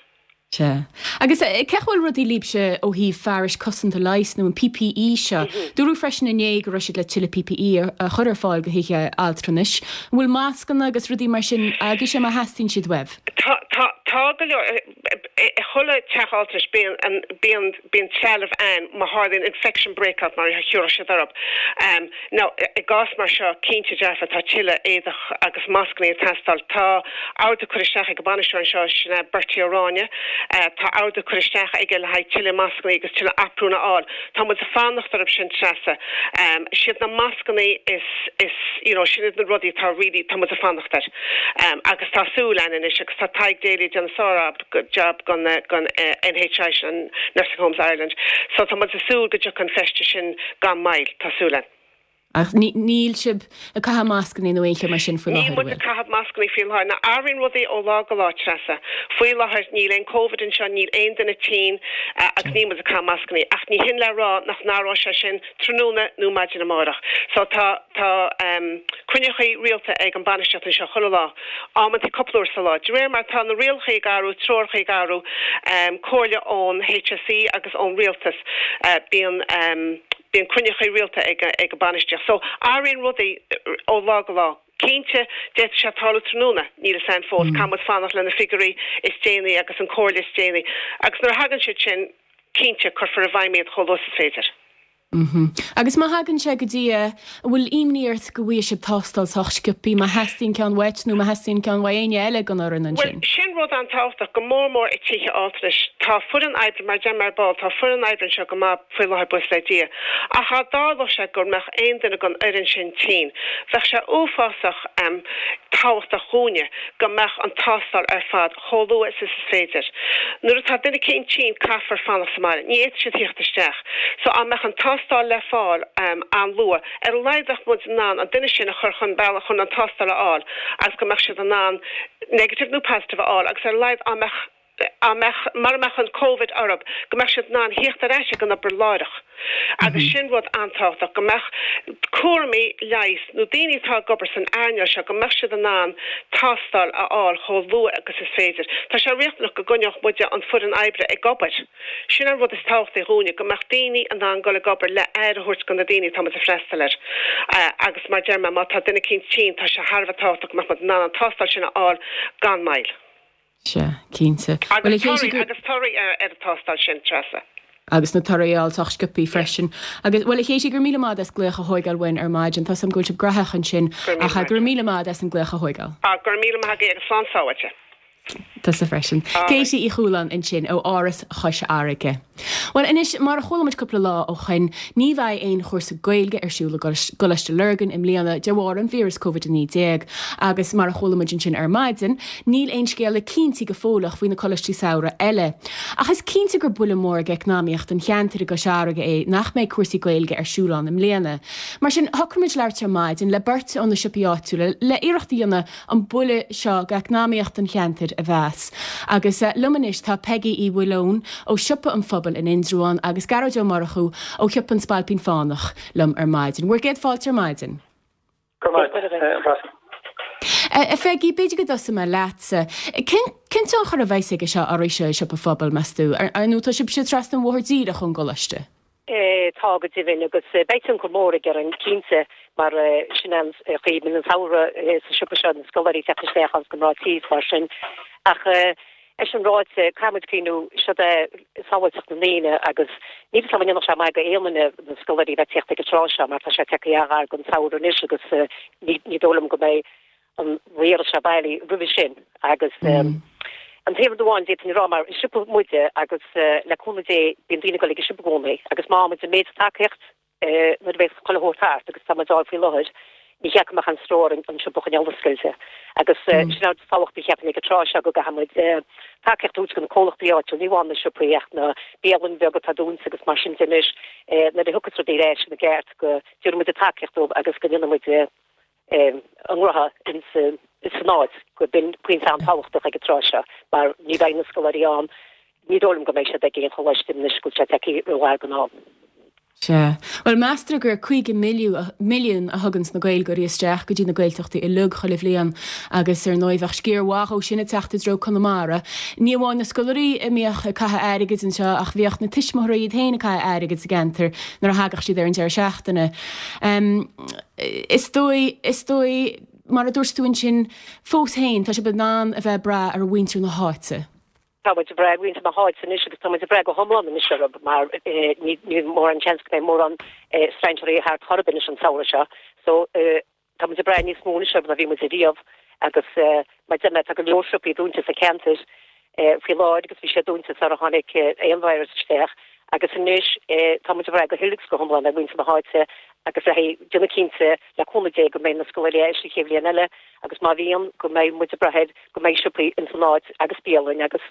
Sea. Agus cén chaoi a bhfuil rudaí libhse ó thaobh fearais cosanta leighis nó an PPE seo? Dúradh freisin inné go raibh siad le tuilleadh PPE a chur ar fáil do thithe altranais. An bhfuil mascanna agus rudaí mar sin agaibhse má theastaíonn siad uaibh? Tá, tá, tá go leor, i chuile teach altranais bíonn an, bíonn, bíonn trealamh ann má tharlaíonn infection breakout mar a thiúrfadh siad orthu. Now, i gcás mar seo, cinnte dearfa tá tuilleadh éadach agus mascanna ag teastáil. Tá ordú curtha isteach ag an bainisteoir anseo, sin é Bertie Ó Ráinne, tá ordú curtha isteach aige le haghaidh tuilleadh mascanna agus tuilleadh aprún a fháil. Tá muid ag fanacht orthu sin, Treasa. Siad na mascanna is, is, you know, sin iad na rudaí atá really, tá muid ag fanacht air. Agus tá súil againn anois agus tá Tadhg Daly ag déanamh sár-job don, don NHI sin, an Nursing Homes Ireland. So tá muid ag súil go dtiocfaidh an feiste sin gan mhoill, tá súil againn. Ach níl sibh ag caitheamh mascanna nó aon cheo mar sin faoi láthair, an bhfuil? Níl muid ag caitheamh mascanna faoi láthair. Now athraíonn rudaí ó lá go lá, Treasa. Faoi láthair níl aon Covid anseo, níl aon duine tinn agus níl muid ag caitheamh mascanna. Ach ní hin le rá nach n-athróidh sé sin tráthnóna nó maidin amárach. So tá, tá cruinniuchaí rialta ag an bainistíocht anseo chuile lá, amantaí cúpla uair sa lá. De réir mar atá na rialachaí ag athrú, treorachaí ag athrú, comhairle ón HSE agus ón Rialtas, bíonn, Bíonn cruinniuchaí rialta ag an bainistíocht. So, athraíonn rudaí ó lá go lá. Cinnte, d'fhéadfadh sé tarlú tráthnóna, níl fhios a'inn fós. Caithfidh muid fanacht le na figiúirí is déanaí agus an comhairle is déanaí. Agus nuair a thagann siad sin, cinnte, cuirfear i bhfeidhm iad chomh luath is is féidir. Agus má thagann sé go dtí é, an bhfuil imní ort go bhfaighidh sibh tástáil sách sciobthaí má theastaíonn ceann uait nó má theastaíonn ceann uaidh éinne eile den fhoireann ansin? Bhuel, sin rud an-tábhachtach, go mór mór i tithe altranais. Tá foireann oibre, mar a deir mé ar ball, tá foireann oibre anseo go maith faoi láthair, buíochas le Dia. Ach dá dtarlódh sé go mbeadh aon duine den fhoireann sin tinn, bheadh sé uafásach tábhachtach dhúinne go mbeadh an tástáil ar fad chomh luath is is féidir. Nuair atá duine eicínt tinn caithfear fanacht sa mbaile. Ní fhéadfaidh siad thíocht isteach. So á mbeadh an tástáil le fáil an-luath, ar a laghad bheadh muid in ann an duine sin a chur chun bealaigh chun an tástáil a fháil agus go mbeadh siad in ann negative nó positive a fháil agus ar a laghad á mbeadh á mbeadh mara mbeadh an Covid orthu go mbeadh siad in ann thíocht ar ais ag an obair láithreach. Agus sin rud an-tábhachtach, go mbeadh cúramaí leighis nó daoine atá ag obair san earnáil seo, go mbeadh siad in ann tástáil a fháil chomh luath agus is féidir. Tá sé riachtanach go gcoinneodh muide an foireann oibre ag obair. Sin an rud is tábhachtaí dhúinne, go mbeadh daoine in ann dul ag obair le aire a thabhairt do na daoine atá muid ag freastal air. Agus mar deir mé, má tá duine eicínt tinn, tá sé thar a bheith tábhachtach go mbeadh muid in ann an tástáil sin a fháil gan moill. Sea, cinnte. Bhuel, a Agus Katie, torthaí, agus torthaí ar an tástáil sin, Treasa. Agus na torthaí a fháil sách sciobthaí freisin. Agus, bhuel, a Katie, go raibh míle maith agat as glaoch a thóigeáil uainn ar maidin. Tá 's agam go bhfuil sibh graitheach ansin, Go raibh míle ach maith go raibh míle maith agat as an glaoch a thóigeáil. Ah, go raibh míle maith agaibh agus slán sábháilte. Tusa freisin. All right. Katie Uí Chualáin ansin ó Áras Chois Fharraige. Bhuel, anois, mar a chuala muid cúpla lá ó shoin, ní bheidh aon chúrsa Gaeilge ar siúl i gColáiste Lurgan i mbliana de bharr an víreas Covid-19 agus mar a chuala muid ansin ar maidin, níl aon scéala cinnte go fóilleach faoi na coláistí samhraidh eile. Ach is cinnte gur buille mór d'eacnamaíocht an cheantair i gCois Fharraige é nach mbeidh cúrsaí Gaeilge ar siúl ann i mbliana. Mar sin, shocraigh muid labhairt ar maidin le beirt ó na siopaí áitiúla le iarracht a dhéanamh an buille seo d'eacnamaíocht an cheantair a mheas. Agus liom anois tá Peigí Uí Mhaoileoin ó Siopa an Phobail in Indreabhán agus Gearóid Ó Murchú ó Shiopa an Spailpín Fánach liom ar maidin. Bhur gcéad fáilte ar maidin. Go raibh maith agat, a Threasa. A Pheigí, b'fhéidir go dtosóidh mé leatsa. Cén tionchar a bheas aige seo oraibhse i Siopa an Phobail, meas tú? Ar ndóigh tá sibhse trasna an bhóthair díreach ón gcoláiste. Tá go deimhin, agus beidh tionchar mór aige orainn, cinnte, mar sin an chaoi a mbíonn an samhradh sa siopa seo, na scoláirí ag teacht isteach agus na mná tí is mar sin. Ach é sin ráite, caithfidh muid cuimhniú, seod é sábháilteacht na ndaoine agus níl fhios agam an ndéanfadh sé maith go aon duine na scoláirí a bheith ag teacht ag an tráth seo mar tá sé tagtha an-ghar don samhradh anois agus ní dóigh liom go mbeidh an víreas seo bailí roimhe sin agus an t-aon rud amháin d'fhéadfainn a rá mar is siopa muide agus le cúnamh Dé bíonn daoine ag dul ag an siopa i gcónaí agus má fhaigheann muid an méid tacaíocht nuair a bheas chuile shórt thart agus tá muid á fháil faoi láthair ní hea go mbeadh aon stró orainn an siopa a choinneáil oscailte agus sin an rud is tábhachtaí cheapfainn ag an tráth seo go gcaithfidh muid tacaíocht a thabhairt do na comhlachtaí áitiúil ní amháin na siopaí ach na bialanna beaga atá dúnta agus mar sin de anois nuair a thiocfas rudaí ar ais ina gceart go dtabharfaidh muid tacaíocht dóibh agus go ndéanfaidh muid a ngnótha san áit go b'in pointe an-tábhachtach ag an tráth seo mar ní bheidh na scoláirí ann, ní dóigh liom go mbeidh siad ag aon choláiste anois go bhfuil sé tagtha ró-ghar don am. Sea. Bhuel, meastar gur 50 milliún a thuganns na Gaeilgeoirí isteach go dtí na Gaeltachtaí uilig chuile bhliain agus ar ndóigh bheadh sciar mhaith dhó sin ag teacht i dtreo Conamara. Ní amháin na scoláirí a mbíodh ag caitheamh airgid anseo ach bhíodh na tuismitheoirí iad féin ag caitheamh airgid sa gceantar nuair a thagadh siad ar an deireadh seachtaine. Is dóigh, is dóigh, mar a dúirt tú ansin, fós féin, tá sibh in ann a bheith ag brath ar mhuintir na háite. Tá muid ag brath ar mhuintir na háite anois agus tá muid ag brath go hiomlán anois orthu mar níl mórán seans go mbeidh mórán strainséirí thart chor ar bith anois an samhradh seo. So tá muid ag brath níos mó anois orthu ná bhí muid ariamh agus mar a deir mé tá go leor siopaí dúnta sa cheantar faoi láthair agus bhí siad dúnta sara tháinig aon virus isteach agus anois tá muid ag brath go huile agus go hiomlán ar mhuintir na háite agus le haghaidh déanamh cinnte le cúnamh Dé go mbeidh na scoláirí ar ais an chéad bhliain eile agus má bhíonn go mbeidh muid ag brath air go mbeidh siopaí ins an áit agus bialainn agus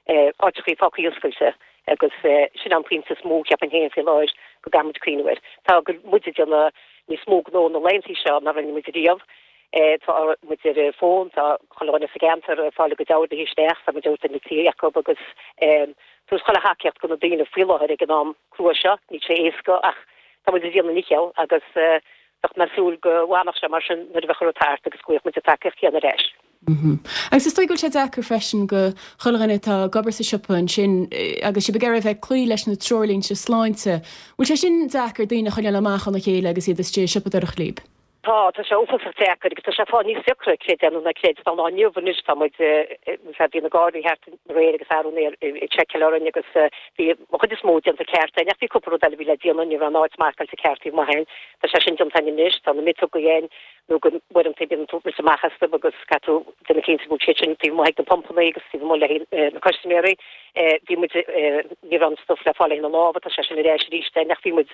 áiteachaí fágtha oscailte agus sin an pointe is mó cheapfainn féin faoi láthair go gcaithfidh muid cuimhniú air. Tá muid ag déanamh níos mó gnó na laethanta seo ná rinne muid riamh. Tá muid ar an bhfón, tá chuile dhuine sa gceantar ag fáil a gcuid orduithe isteach, tá muid ag tabhairt na tithe acu agus tabhairt chuile thacaíocht do na daoine faoi láthair ag an am crua seo. Níl sé éasca ach tá muid ag déanamh ár ndícheall agus bheadh mé ag súil go bhfanfadh sé mar sin nuair a bheadh an rud thart agus go bhfaigheadh muid an tacaíocht chéanna ar ais. Agus is dóigh go bhfuil sé deacair freisin go chuile dhuine atá ag obair sa siopa ansin agus sibh ag iarraidh a bheith ag cloí leis na treoirlínte sláinte. Bhfuil sé sin deacair daoine a choinneáil amach óna chéile agus iad istigh ag siopadóireacht libh? Tá, tá sé uafásach deacair agus tá sé ag fáil níos deacra, creid é nó ná creid. Tá an lá inniu anois, tá muid, bhí na Gardaí thart aréir agus arú aréir ag seiceáil orainn agus bhí an chuid is mó déanta ceart againn ach bhí cúpla rud eile a bhí le déanamh, ní raibh an áit marcáilte ceart taobh amuigh againn. Tá sé sin déanta againn anois, tá na miotógaí againn nó go uaireanta bíonn tú rite amach astu agus caithfidh tú déanamh cinnte go bhfuil siad sin taobh amuigh ag na pumpanna agus taobh amuigh le na custaiméirí. Bhí muid, ní raibh an stuif le fáil le haghaidh na lámha, tá sé sin ar ais arís againn ach bhí muid,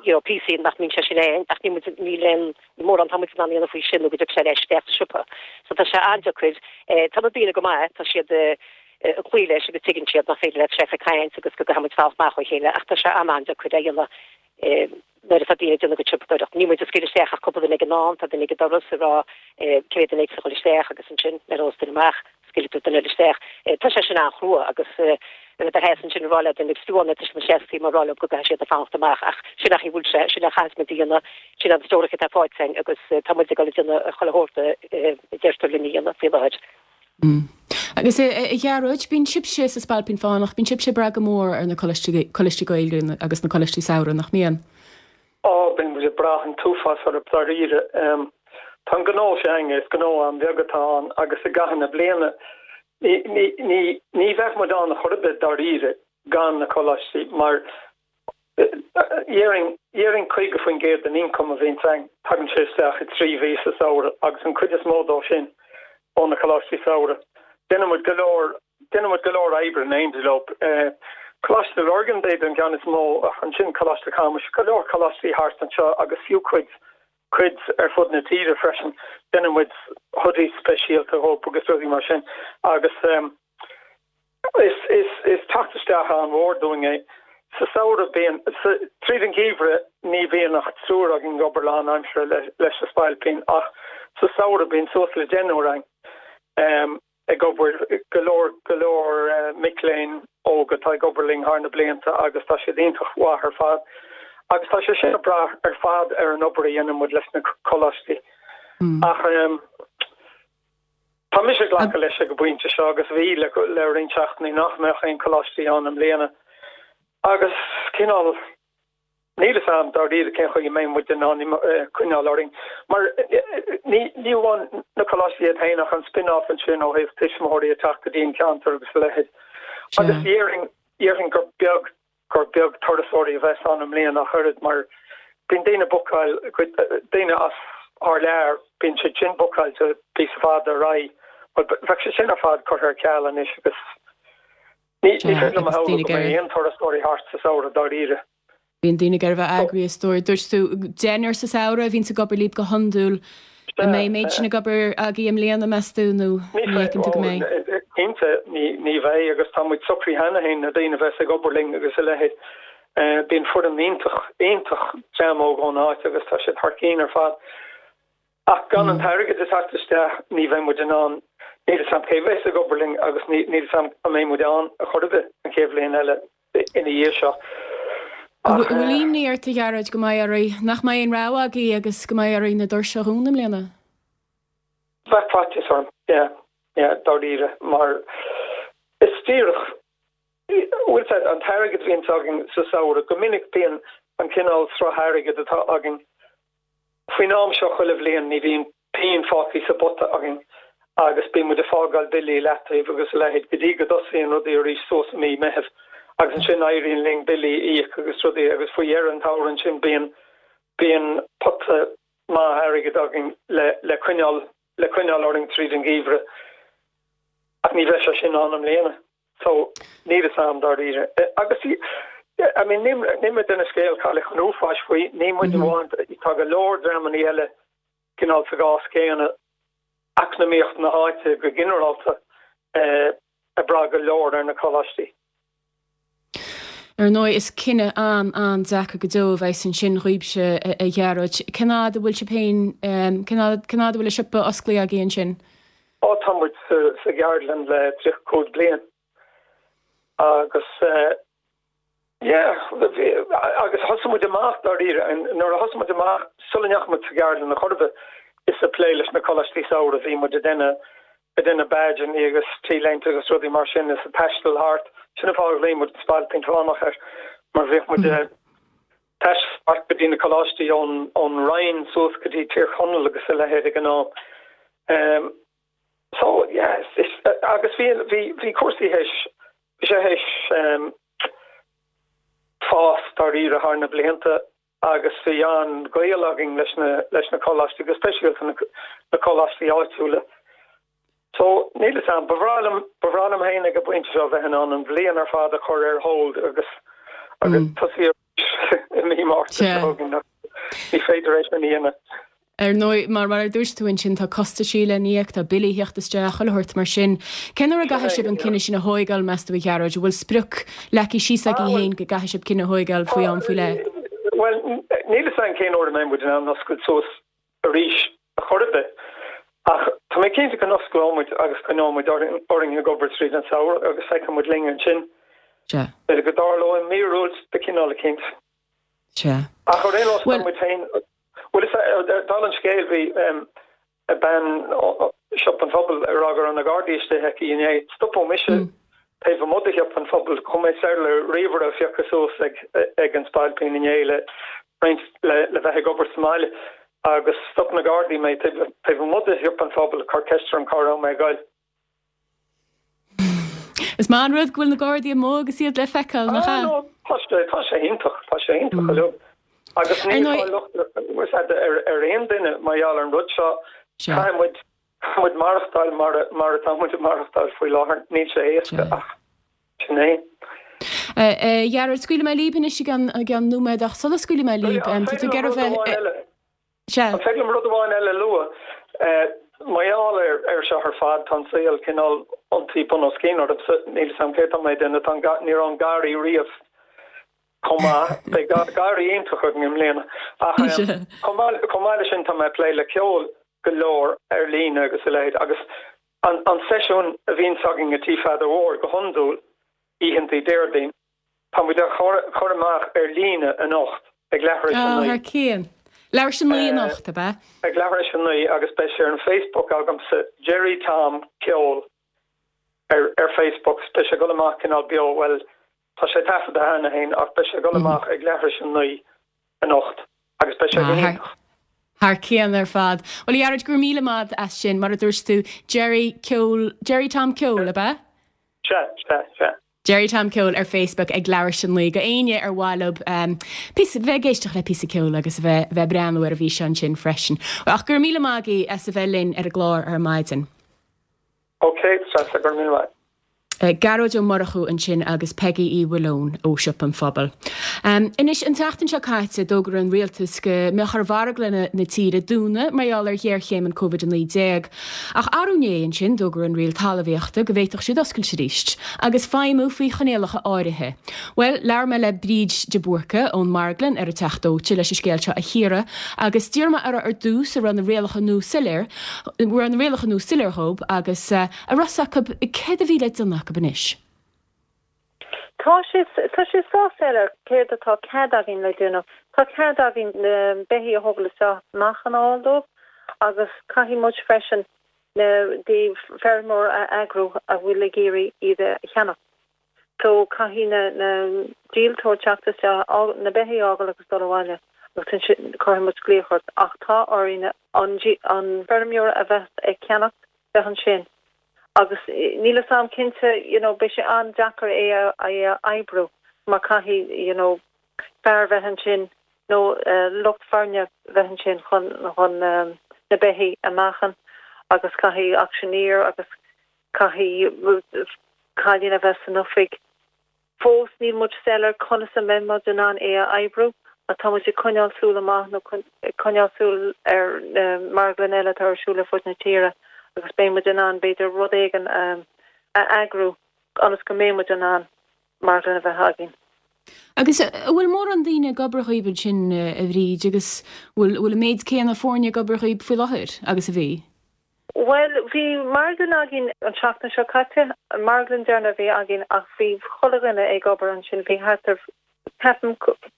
you know, píosaí nach mbíonn sé sin ann ach níl muid, níl aon, níl mórán atá muid in ann a dhéanamh faoi sin nó go dtiocfaidh sé ar ais isteach sa siopa. So tá sé an-deacair. Tá na daoine go maith, tá siad ag cloí leis agus tuigeann siad nach féidir leat seif ag caint agus go gcaithfidh muid fanacht amach ó chéile ach tá sé an-an-deacair a dhéanamh nuair atá daoine ag déanamh a gcuid siopadóireacht. Níl muid ag scaoileadh isteach ach cúpla duine ag an am, tá duine ag an doras ag rá cé mhéad duine a dhul isteach agus ansin nuair a ghabhas duine amach, scaoilfidh tú duine eile isteach. Tá sé sin an-chrua agus a bheith i do sheasamh ansin ag rá le duine agus fiú amháin tá siad ina seasamh ag rá leo go gcaithfidh siad fanacht amach ach sin an chaoi a bhfuil sé, sin a chaithfeas muid a dhéanamh, sin an treoracha atá faighte againn agus tá muid ag dul ag déanamh chuile shórt a deirtear linn a dhéanamh faoi láthair. Agus a Ghearóid, bíonn sibhse sa Spailpín Fánach, bíonn sibhse ag brath go mór ar na coláistí, coláistí Gaeilge agus na coláistí samhraidh, nach mbíonn? Á, bíonn muid ag brath an t-uafás orthu, dáiríre. Tá an gnó s'againne, is gnó an-bheag atá ann agus i gcaitheamh na bliana, ní, ní, ní, ní bheadh muid ann chor ar bith, dáiríre, gan na coláistí mar déarfainn, déarfainn 50% den ioncam a bhíonns againn, tagann sé isteach i dtrí mhí sa samhradh agus an cuid is mó dó sin ó na coláistí samhraidh. Déanann muid go leor Déanann muid go leor oibre in éindí leo. Coláiste Lurgan b'fhéidir an ceann is mó ach ansin Coláiste Chamuis, go leor coláistí thart anseo agus fiú cuid, cuid ar fud na tíre freisin. Déanann muid hoodies speisialta dhóibh agus rudaí mar sin agus is, is, is teacht isteach an-mhór dúinn é. Sa samhradh bíonn, sa, tríd an gheimhreadh ní bhíonn ach triúr againn ag obair lánaimseartha leis an Spailpín ach sa samhradh bíonn suas le deichniúr againn. ag obair, go leor, go leor mic léinn óga atá ag obair linn thar na blianta agus tá siad iontach mhaith ar fad. Agus tá sé sin ag brath ar fad ar an obair a dhéanann muid leis na coláistí. Ach tá mise ag glacadh leis ag an bpointe seo agus bhí le le roinnt seachtainí nach mbeadh aon coláistí ann i mbliana. Agus cineál. Níl fhios a'm dáiríre cén chaoi a mbeidh muid in ann coinneáil orainn, mar ní amháin na coláistí iad féin ach an spin-off ansin ó thaobh tuismitheoirí ag teacht go dtí an ceantar agus a leithéid. Agus déarfainn, déarfainn gur beag, gur beag turasóirí a bheas ann i mbliana ach oiread mar bíonn daoine bookáil, daoine as thar lear, bíonn siad sin bookáilte píosa fada ar aghaidh. Bhuel, bheadh sé sin ar fad curtha ar ceal anois agus Ní féidir liom a shamhlú go mbeidh aon turasóirí thart sa samhradh, dáiríre. Bíonn daoine ag iarraidh a bheith eagraithe is dóigh. Dúirt tú deichniúr sa samhradh a bhíonns ag obair libh go hiondúil. An mbeidh an méid sin ag obair agaibh i mbliana, meas tú, nó ní fheiceann tú go mbeidh? Cinnte, ní bheidh agus tá muid socraithe cheana féin, na daoine a bheas ag obair linn agus a leithéid. Bíonn foireann iontach, iontach dream óg ón áit agus tá siad thar cinn ar fad. Ach gan an t-airgead ag teacht isteach ní bheidh muid in ann, níl 'fhios a'm cé bheas ag obair linn agus níl 'fhios a'm an mbeidh muid ann a chor ar bith an chéad bhliain eile ina dhiaidh seo. An bhfuil imní ort, a Ghearóid, go mbeidh oraibh, nach mbeidh aon rogha agaibh agus go mbeidh oraibh na doirse a dhúnadh i mbliana? Bheadh faitíos orm, yeah, yeah, dáiríre, mar is díreach, bhfuil 'fhios a'd, an t-airgead a bhíonns againn sa samhradh, go minic bíonn an cineál sruth airgid atá againn Faoin am seo chuile bhliain ní bhíonn pingin fágtha sa bpota againn agus bíonn muid ag fágáil billí i leataobh agus a leithéid go dtí go dtosaíonn rudaí arís suas i mí Meithimh agus ansin éiríonn linn billí a íoc agus rudaí agus faoi dheireadh an tsamhraidh ansin bíonn bíonn pota maith airgid againn le le coinneáil le coinneáil orainn tríd an gheimhreadh ach ní bheidh sé sin ann i mbliana. So, níl fhios a'm dáiríre. Agus, I mean, níl mé ag déanamh scéal cailleach an uafáis faoi, ní muid amháin, tá go leor dreamannaí eile cineál sa gcás céanna, eacnamaíocht na háite go ginearálta ag brath go leor ar na coláistí. Ar ndóigh, is cinneadh an-an-deacair go deo a bheas ansin dhaoibhse, a Ghearóid. Cén fhad a bhfuil sibh féin, cén fhad a bhfuil an siopa osclaithe agaibh ansin? Ó, tá muid sa gceardlann le 35 bliain agus yeah, agus thosaigh muid amach dáiríre, nuair a thosaigh muid amach, sula ndeachaigh muid sa gceardlann a chor ar bith, is ag plé leis na coláistí samhraidh a bhí muid ag déanamh, ag déanamh badgeanna agus t-léinte agus rudaí mar sin is ag taisteal thart. Sin an fáth a ghlaoigh muid an Spailpín Fánach air, mar bhíodh muid. Taisteal go dtí na coláistí ón ón Rinn suas go dtí Tír Chonaill agus a leithéid ag an am. So, yeah, is, agus bhí, bhí, bhí cúrsaí théis, bhí sé théis fás dáiríre thar na blianta agus bhí an-ghaol againn leis na, leis na coláistí, go speisialta na, na coláistí áitiúla. So, níl 'fhios a'm, ba bhreá liom, ba bhreá liom féin ag an bpointe seo bheith in ann an bhliain ar fad a chur ar hold agus, agus tosaí arís i mí Márta seo chugainn ach ní féidir é sin a dhéanamh. Ar ndóigh, mar mar a dúirt tú ansin, tá costaisí le n-íoc, tá billí ag theacht isteach, chuile shórt mar sin. Cén uair a gcaithfidh sibh an cinneadh sin a thóigeáil, meas tú, a Ghearóid? An bhfuil sprioc leagtha síos agaibh féin go gcaithfidh sibh cinneadh a thóigeáil faoi am faoi leith? Bhuel, níl 'fhios a'm cén uair a mbeidh muid in ann oscailt suas arís ar chor ar bith. Ach tá mé cinnte go n-osclóidh muid agus coinneoidh muid orainn ag obair tríd an samhradh agus feicfidh muid linn ansin. Sea. B'fhéidir go dtarlóidh míorúilt de chineál eicínt. Sea. Ach ar aon nós, tá muid féin, bhuel, is dála an scéil, bhí bean Siopa an Phobail ag rá go raibh na Gardaí istigh aici inné. Stopadh mise taobh amuigh de Shiopa an Phobail, chuaigh mé soir le ríomhaire a phiocadh suas ag an Spailpín inné le roinnt le bheith ag obair sa mbaile agus stop na Gardaí mé taobh amuigh de Shiopa an Phobail ag cur ceist orm cá raibh mé ag goil. Is maith an rud go bhfuil na Gardaí amuigh agus iad le feiceáil, nach ea? Ah, tá sé, tá sé iontach, tá sé iontach uilig. Agus níl fáil locht ar, ar aon duine mar gheall ar an rud seo. Caithfidh muid, caithfidh muid maireachtáil mar, mar atá muid ag maireachtáil faoi láthair. Níl sé éasca ach sin é. A Ghearóid, scaoilfidh mé líb anois i gceann, i gceann nóiméad ach sula scaoilfidh mé líb, tá tú ag iarraidh bheith, Sea. An féidir liom rud amháin eile a lua? Mar gheall air seo ar fad, tá an saol cineál iontaithe bun os cionn ormsa. Níl 'fhios a'm céard tá mé ag déanamh. Tá an, ní raibh an garraí riamh chomh maith. Beidh garraí iontach againn i mbliana. Ach chomh maith, chomh maith leis sin, tá mé ag plé le ceol go leor ar líne agus a leithéid. Agus an, an seisiún a bhíonns againn i Tí Pheadair Mhóir go hiondúil, oícheantaí Déardaoin, Tá muid á chur amach ar líne anocht ag leathuair tar éis a 9. Thar cionn. Leathuair tar éis a 9 anocht, ab ea? Ag leathuair tar éis a 9 agus beidh sé ar an Facebook agamsa, Gerry Tom Ceol ar ar Facebook. Beidh sé ag dul amach cineál beo, bhuel, tá sé taifeadta cheana féin ach beidh sé ag dul amach ag leathuair tar éis a 9 anocht agus beidh sé go hiontach. Thar cionn ar fad. Bhuel, a Ghearóid, go raibh míle maith as sin. Mar a dúirt tú, Gerry Ceol, Gerry Tom Ceol, ab ea? Sea, sea, sea. Gerry Tom Ceol ar Facebook ag leathuair tar éis a 9 do éinne ar mhaith leo píosa, bheith ag éisteacht le píosa ceoil agus a bheith, bheith ag breathnú ar an bhfíseán sin freisin. Ach go raibh míle maith agaibh as a bheith linn ar an gclár ar maidin. Ok, Treasa, go raibh míle maith. Gearóid Ó Murchú ansin agus Peigí Uí Mhaoileoin ó Siopa an Phobail. Anois, an tseachtain seo caite, d'fhógair an Rialtas go mbeadh ar mharglanna na tíre dúnadh mar gheall ar ghéarchéim an Covid-19. Ach arú inné ansin, d'fhógair an Roinn Talmhaíochta go bhféadfadh siad oscailt arís, agus feidhmiú faoi choinníollacha áirithe. Bhuel, labhair mé le Bríd de Búrca ón Marglann ar an Teach Dóite leis an scéal seo a chíoradh, agus d'iarr mé uirthi ar dtús an raibh na rialacha nua soiléir, an raibh na rialacha nua soiléir dhóibh, agus an raibh 's acu céard a bhí le déanamh acu anois. Tá sé, tá sé sách soiléir céard atá cead againn le déanamh. Tá cead againn na beithígh a thógáil isteach, meáchan a fháil dóibh agus caithfidh muid freisin na feirmeoir a eagrú a bhfuil ag iarraidh iad a cheannach. So caithfidh na, na díoltóir teacht isteach, na beithígh a fhágáil agus dul abhaile agus ansin cuirfidh muid glaoch ort. Ach tá orainn an, an feirmeoir a bheas ag ceannacht bheith ansin. Agus níl 'fhios a'm cinnte, you know, beidh sé an-deacair é a é a oibriú mar caithfidh, you know, fear bheith ansin nó lucht foirne bheith ansin chun chun na beithígh a meáchan agus caithfidh auctioneer agus caithfidh cailín a bheith san oifig. Fós níl muid soiléir conas a mbeidh muid in ann é a oibriú ach tá muid ag coinneáil súil amach nó ag coinneáil súil ar na marglanna eile atá ar siúl ar fud na tíre agus beidh muid in ann b'fhéidir rud éigin a eagrú ionas go mbeidh muid in ann marglann a bheith againn. Agus an bhfuil mórán daoine ag obair dhaoibh ansin, a Bhríd, agus bhfuil an méid céanna foirne ag obair dhaoibh faoi láthair agus a bhí? Bhuel, bhí marglann againn an tseachtain seo caite, an marglann deireanach a bhí againn ach bhí chuile dhuine ag obair ansin, bhí thart ar, ceapaim,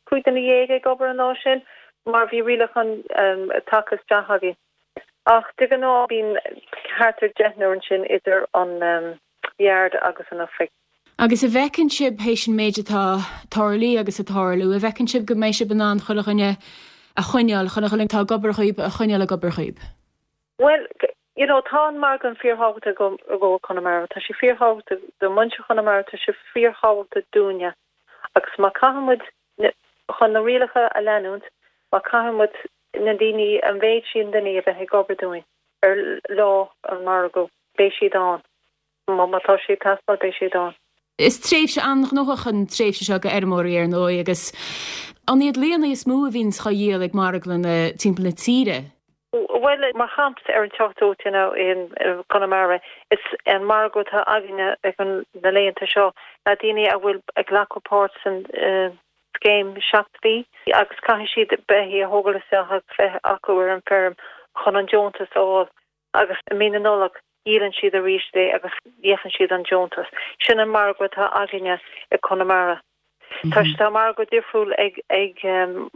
15 duine ag obair an lá sin mar bhí rialacháin tagtha isteach againn. Ach de ghnáth bíonn thart ar deichniúr ansin idir an yard agus an oifig. Agus an bhfeiceann sibh, théis an méid atá tarlaithe agus ag tarlú, an bhfeiceann sibh go mbeidh sibh in ann chuile dhuine a choinneáil, chuile dhuine atá ag obair dhaoib a choinneáil ag obair dhaoib? Bhuel, you know, tá an marglann fíorthábhachtach i gcomhair Chonamara. Tá sé fíorthábhachtach do mhuintir Chonamara, tá sé fíorthábhachtach dúinne. Agus má caithfidh muid, chun na rialacha a leanúint, má caithfidh muid na daoine, an mhéid sin daoine a bheith ag obair dúinn ar lá an mhargaidh, beidh siad ann. Má tá sé ag teastáil, beidh siad ann. Is tréimhse an-ghnóthach an tréimhse seo do fheirmeoirí, ar ndóigh, agus an iad laonna is mó a bhíonns á dhíol ag marglanna timpeall na tíre? Bhuel, mar shampla, ar an Teach Dóite nó i gConamara, is an margadh atá againne ag na laethanta seo ná daoine a bhfuil ag glacadh páirt san scéim 7 mhí agus caithfidh siad beithígh a thógáil isteach agus bheith acu ar an bhfeirm chun an deontas a fháil. Agus i mí na Nollag, díolann siad arís é agus íocann siad an deontas. Sin an margadh atá againne i Conamara. Tá tá margadh difriúil ag ag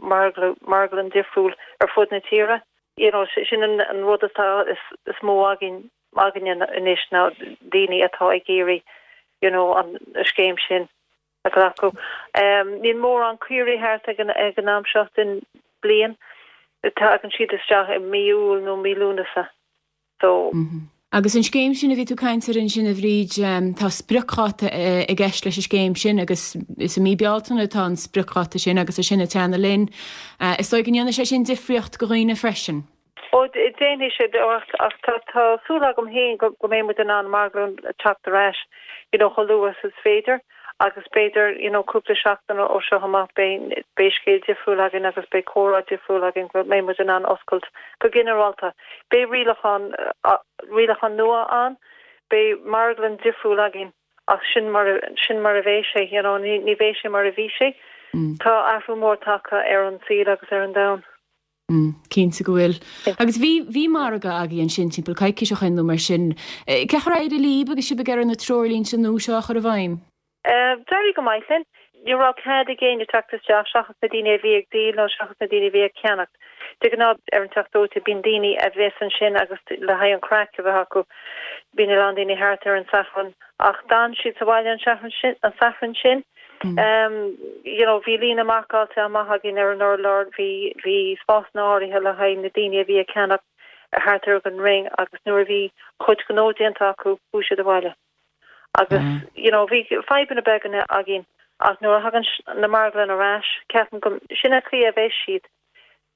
marglann difriúil ar fud na tíre. You know, sin an an rud atá is is mó againn againne anois ná daoine atá ag iarraidh you know an scéim sin a ghlacadh. Níl mórán caoirigh thart ag an am seo den bliain. Tagann siad isteach i mí Iúil nó mí Lúnasa. So. Agus an scéim sin a bhí tú ag caint air ansin a Bhríd, tá spriocdháta i gceist leis an scéim sin agus is i mí Bealtaine atá an spriocdháta sin agus é sin ag teannadh linn. Is dóigh go ndéanfaidh sé sin difríocht do dhaoine freisin. Ó, déanfaidh sé, ach tá súil agam féin go mbeidh muid in ann marglann teacht ar ais, you know, chomh luath is is féidir agus b'fhéidir, you know, cúpla seachtain ó seo amach beidh, beidh scéal difriúil againn agus beidh comhrá difriúil againn go mbeidh muid in ann oscailt go ginearálta. Beidh rialachán, rialachán nua ann, beidh marglann difriúil againn ach sin mar, sin mar a bheidh sé, you know, ní, ní bheidh sé mar a bhí sé. Tá athrú mór tagtha ar an saol agus ar an domhan. Cinnte go bhfuil. Agus bhí, bhí margadh agaibh ansin timpeall coicís ó shin nó mar sin. Cén chaoi ar éirigh libh agus sibh ag iarraidh na treoirlínte nua seo a chur i bhfeidhm? D'éirigh go maith linn. Ní raibh cead ag éinne teacht isteach seachas na daoine a bhí ag díol nó seachas na daoine a bhí ag ceannacht. De ghnáth ar an Teach Dóite bíonn daoine a bheas ansin agus le haghaidh an craic a bheith acu. Bíonn a lán daoine thart ar an Satharn ach d'fhan siad sa bhaile an Satharn sin. You know, bhí líne marcáilte amach againn ar an urlár, bhí, bhí spásanna áirithe le haghaidh na daoine a bhí ag ceannach thart ar an ring agus nuair a bhí a gcuid gnó déanta acu, chuaigh siad abhaile. Agus, you know, bhí fadhbanna beaga againn ach nuair a thagann na marglann ar ais, ceapaim go, sin an chaoi a bheidh siad.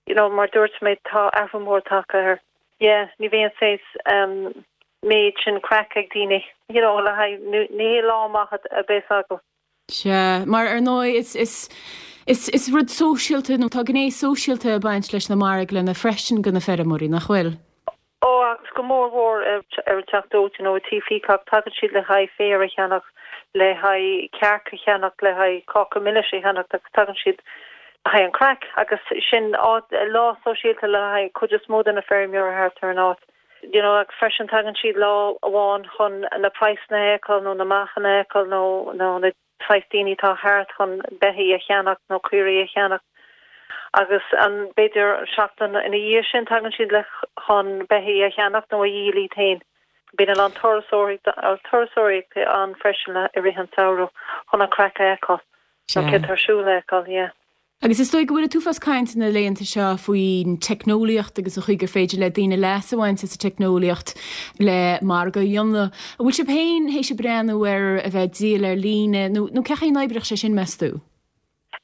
You know, mar dúirt mé, tá athrú mór tagtha air. Yeah, ní bhíonn saghas um méid sin craic ag daoine, you know, le haghaidh, ní hé lá amach a bheas acu. Sea, mar ar ndóigh is, is, is, is rud sóisialta nó tá gné sóisialta ag baint leis na marglanna freisin do na feirmeoirí, nach bhfuil? Ó, agus go mór mhór ar an Teach Dóite nó i Tí Peacock, tagann siad le haghaidh féar a cheannach, le haghaidh cearc a cheannacht, le haghaidh cáca milis a cheannacht agus tagann siad le haghaidh an craic agus sin áit, lá sóisialta le haghaidh cuid is mó de na feirmeoirí thart ar an áit. You know, agus freisin tagann siad lá amháin chun na praghsanna a fheiceáil nó na meáchain a fheiceáil nó nó na saghas daoine atá thart chun beithígh a cheannacht nó caoirigh a cheannacht agus an b'fhéidir seachtain ina dhiaidh sin tagann siad le chun beithígh a cheannacht nó a dhíol iad féin. Bíonn a lán turasóirí turasóirí ann freisin le i rith an samhradh chun an craic a fheiceáil nó céard atá ar siúl a fheiceáil, yeah. Agus is dóigh go bhfuil an t-uafás cainte na laethanta seo faoin teicneolaíocht agus an chaoi gur féidir le daoine leas a bhaint as an teicneolaíocht le margadh a dhéanamh. An bhfuil sibh féin théis ag breathnú ar a bheith ag díol ar líne nó nó cén chaoi a n-oibreodh sé sin, meas tú?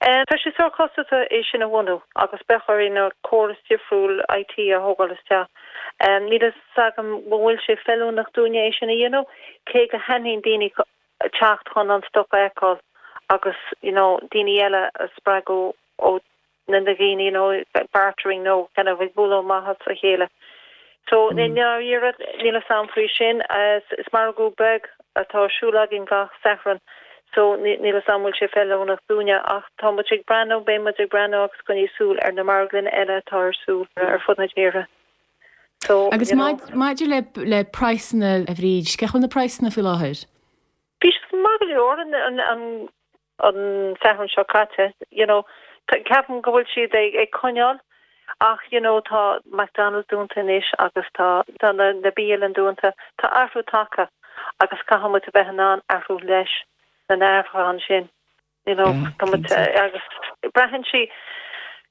Tá sé sórt costasach é sin a bhunú agus beadh orainn córas difriúil IT a thógáil isteach. Níl a fhios agam an bhfuil sé feiliúnach dúinne é sin a dhéanamh, cé go thaitníonn daoine teacht chun an stoc a fheiceáil agus you know daoine eile a spreagadh ó na daoine you know bartering nó kind of ag bualadh amach as a chéile. So i ndáiríre níl a fhios agam faoi sin. Is margadh beag atá ar siúl againn gach Satharn so níl a fhios agam bhfuil sé feiliúnach dúinne ach tá muid ag breathnú, beidh muid ag breathnú agus coinneoidh súil ar na marglanna eile atá ar siúl ar fud na tíre. So, Agus you know. maidir le le praghsanna a Bhríd, cén chaoi a bhfuil na praghsanna faoi láthair? Bhí siad maith go leor an an an an Satharn seo caite, you know. Ceapaim go bhfuil siad ag ag coinneáil ach you know tá McDonald's dúnta anois agus tá tá na na bialanna dúnta. Tá athrú tagtha agus caithfidh muid a bheith in ann athrú leis. Na n-athruithe ansin, you know, tá muid, agus braitheann sí,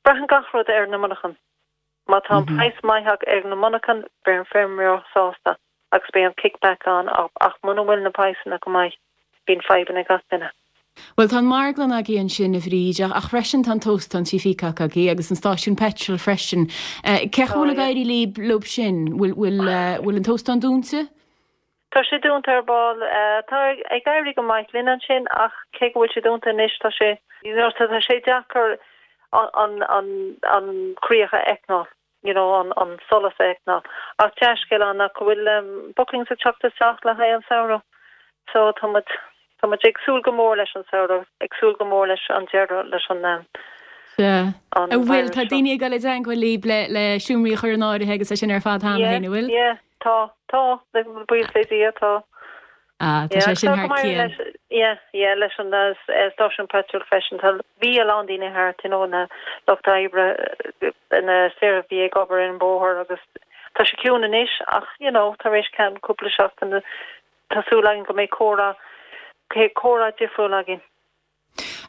braitheann gach rud ar na monarchan. Má tá an praghas maith ag na monarchan, beidh an feirmeoir sásta agus beidh an kickback ann ach muna bhfuil na praghsanna go maith, bíonn fadhbanna ag gach duine. Bhuel, tá an marglann agaibh ansin, a Bhríd, ach freisin tá an t-óstán Tí Peacock agaibh agus an stáisiún peitril freisin. Cén chaoi a bhfuil ag éirí libh leo sin? Bhfuil an t-óstán dúnta? Tá sé dúnta ar ball. Tá ag éirí go maith linn ansin ach cé go bhfuil sé dúnta anois tá sé, you know, tá sé deacair an, an, an chríoch a fheiceáil, you know, an, an solas a fheiceáil. Ach dea-scéal ann ná go bhfuil bookings ag teacht isteach le haghaidh an samhradh so tá muid, tá muid ag súil go mór leis an samhradh, ag súil go mór leis an deireadh leis an, Sea. an An bhfuil, tá daoine ag dul i dteangmháil libh le, le seomraí a chur in áirithe agus é sin ar fad cheana féin, an bhfuil? Yeah, yeah. Tá, tá, buíochas le Dia, tá. Ah, tá sé sin thar cionn. Yeah, yeah, leis an stáisiún peitril freisin, tá, bhí a lán daoine thart, you know, na lucht oibre, na fir a bhí ag obair ar an bóthar agus tá sé ciúin anois ach, you know, tar éis ceann cúpla seachtain, tá súil againn go mbeidh comhrá, comhrá difriúil againn.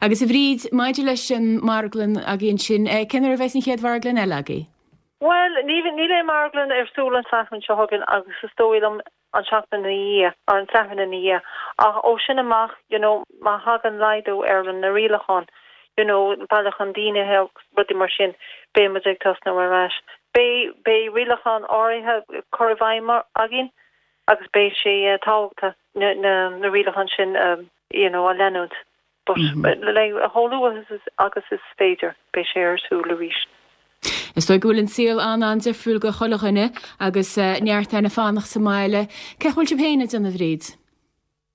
Agus a Bhríd, maidir leis an marglann agaibh ansin, cén uair a bheas an chéad mharglann eile agaibh? Bhuel, níl aon marglann ar siúl an Satharn seo chugainn agus is dóigh liom an seachtain ina dhiaidh, or an Satharn ina dhiaidh. Ach ó sin amach, you know, má thagann laghdú ar na rialacháin, you know, bailiúchán daoine agus rudaí mar sin, beidh muid ag tosnú ar ais. Beidh, beidh rialacháin áirithe cur i bhfeidhm againn agus beidh sé tábhachtach na, na, na rialacháin sin a, you know, a leanúint. But like chomh luath agus is féidir, beidh sé ar siúl arís. Is dóigh go bhfuil an saol an-an-difriúil go chuile dhuine agus neart orainn fanacht sa mbaile. Cén chaoi a bhfuil sibh féin ag déanamh, a Bhríd?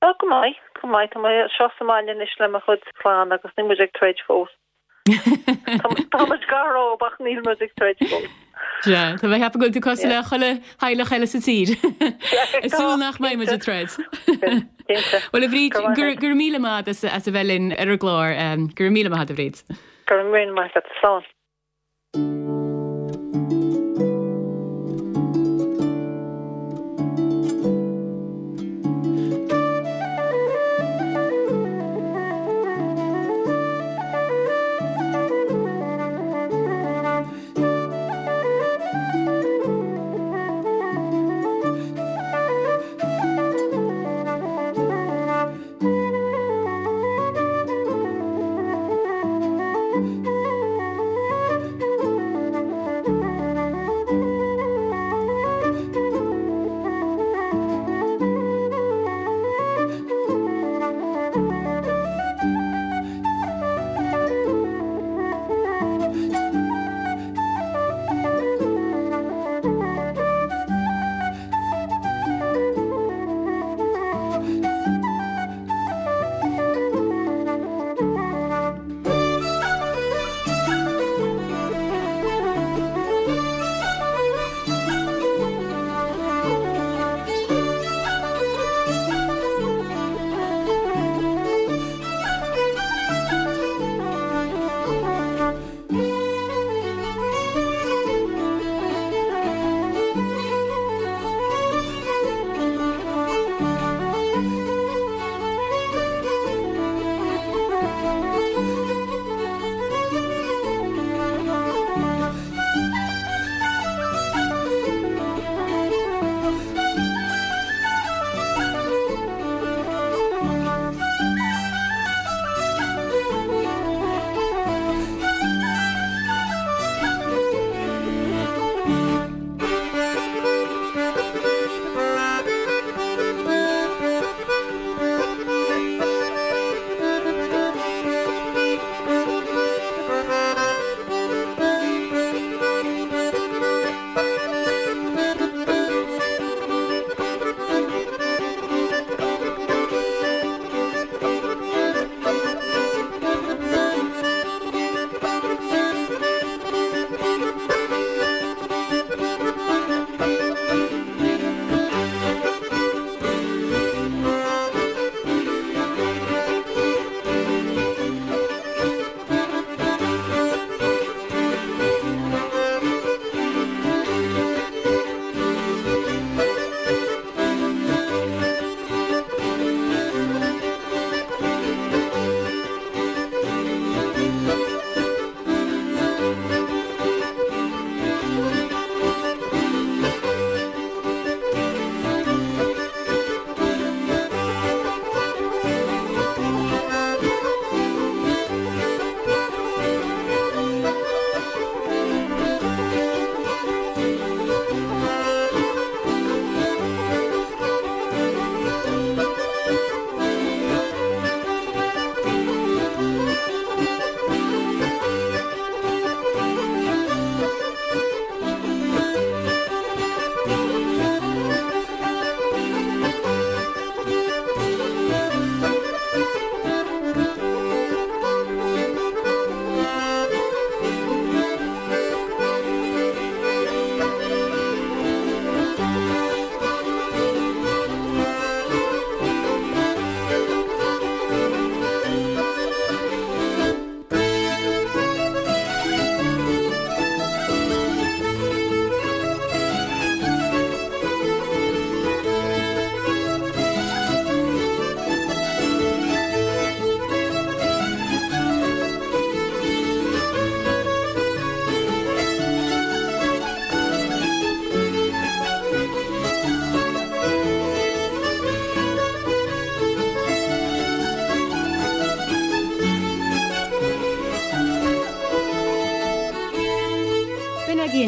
Oh, go maith, go maith. Tá mé anseo sa mbaile anois le mo chuid clann agus níl muid ag troid fós. Tá muid gar ach níl muid ag troid fós. Sea, tá mé ag ceapadh go bhfuil tú cosúil le chuile theaghlach eile sa tír. Ag súil nach mbeidh muid ag troid. Bhuel, a Bhríd, go raibh míle maith agat as a bheith linn ar an gclár. Go raibh míle maith agat, a Bhríd. Go raibh míle maith agat. Slán.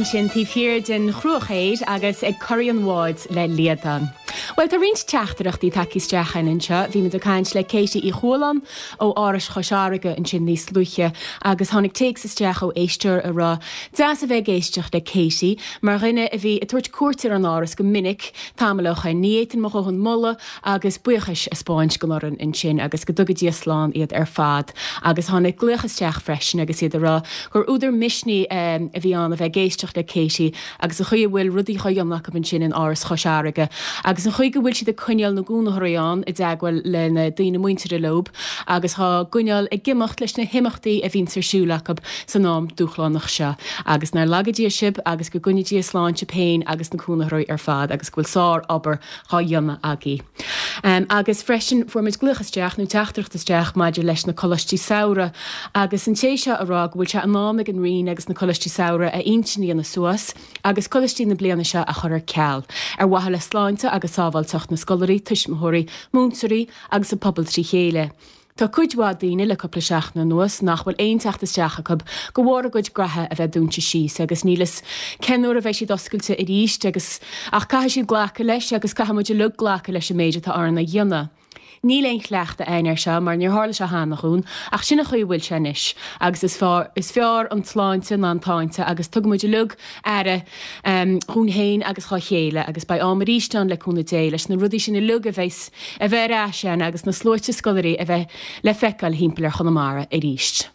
ansin taobh thiar den Chruachaor agus ag corraí an bháid le Liadán. Bhuel, tá roinnt teachtaireachtaí tagtha isteach againn anseo. Bhí muid ag caint le Katie Uí Chualáin ó Áras Chois Fharraige ansin níos luaithe agus tháinig téacs isteach ó éisteoir a rá, Deas a bheith ag éisteacht le Katie, mar dhuine a bhí ag tabhairt cuairt ar an Áras go minic tamall ó shoin. Ní fhéadfainn mo dhóthain moladh agus buíochais a 'spáint don fhoireann ansin agus go dtuga Dia slán iad ar fad. Agus tháinig glaoch isteach freisin agus iad ag rá gur údar misnigh a bhí ann a bheith ag éisteacht le Katie agus an chaoi a bhfuil rudaí dhá dhéanamh acu ansin in Áras Chois Fharraige agus an chaoi go bhfuil siad ag coinneáil na gcónaitheoirí ann i dteagmháil le na daoine muinteartha leob agus dhá gcoinneáil ag imeacht leis na himeachtaí a bhíonns ar siúl acu san am dúshlánach seo. Agus nár laga Dia sibh agus go gcoinne Dia slán sibh féin agus na cónaitheoirí ar fad agus go bhfuil sár-obair dhá dhéanamh agaibh. Agus freisin fuair muid glaoch isteach, nó teachtaireacht isteach maidir leis na Coláistí Samhraidh agus an té seo a rá go bhfuil sé in am ag an Roinn agus na Coláistí Samhraidh a intinn a dhéanamh suas agus coláistí na bliana seo a chur ar ceal, ar mhaithe le sláinte agus sábháilteacht na scolairí, tuismitheoirí, múinteoirí agus an pobal trí chéile. Tá cuid mhaith daoine le cúpla seachtain anuas nach bhfuil aon teacht isteach acu de bharr a gcuid graithe a bheith dúnta síos agus níl fhios cén uair a bheidh siad oscailte arís agus ach caithfidh siad glacadh leis agus caithfidh muid uilig glacadh leis an méid atá orainn a dhéanamh. Níl aon chleachtadh againn air seo mar níor tharla sé cheana dhúinn ach sin an chaoi a bhfuil sé anois agus is is fearr an tsláinte ná an táinte agus tugann muid uilig aire dhúinn féin agus dhá chéile agus beidh am arís ann le cúnamh Dé leis na rudaí sin uilig a bheas a bheith ar ais ann agus na sluaite scolairí a bheith le feiceáil thimpeall ar Chonamara arís.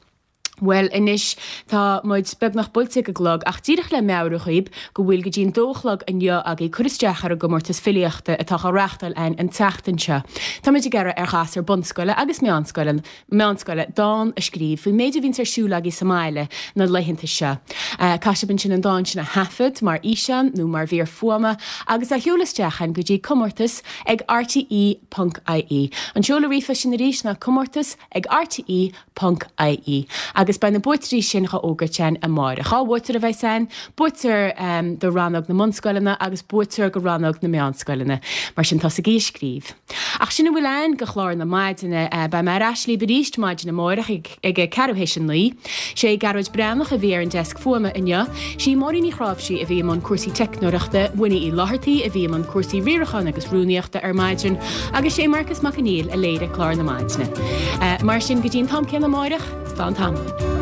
Bhuel anois tá muid beagnach buailte ag an gclog ach díreach le meabhrú dhaoib go bhfuil go dtí an dó a chlog inniu agaibh cur isteach ar an gcomórtas filíochta atá á reáchtáil againn an tseachtain seo. Tá muid ag iarraidh ar ghasúir bunscoile agus meánscoile meánscoile, dán a scríobh faoin méid a bhíonns ar siúl agaibh sa mbaile na laethanta seo. Caithfidh sibh ansin an dán sin a thaifead mar fhíseán nó mar mhír fuaime agus a sheoladh isteach chugainn go dtí comórtas ag rte ponc ie. An seoladh ríomhphoist sin arís ná comórtas ag rte ponc ie. Agus beidh na buaiteoirí sin dhá bhfógairt againn amáireach. Dhá bhuaiteoir a bheas ann, buaiteoir do rannóg na mbunscoileanna agus buaiteoir do rannóg na meánscoileanna. Mar sin tosaigí ag scríobh. Ach sin a bhfuil ann do chlár na maidine. Beidh mé ar ais libh arís maidin amáireach ag a ceathrú théis a 9. Sé Gearóid Breathnach a bhí ar an deasc fuaime inniu. Sí Máirín Ní Chráimhsí a bhí i mbun cúrsaí teicneoireachta, Winnie Uí Fhlathartaigh a bhí i mbun cúrsaí riaracháin agus rúnaíochta ar maidin agus sé Marcas Mac Conghail a léirigh clár na maidine. Mar sin, go dtí an t-am céanna amáireach, slán tamall.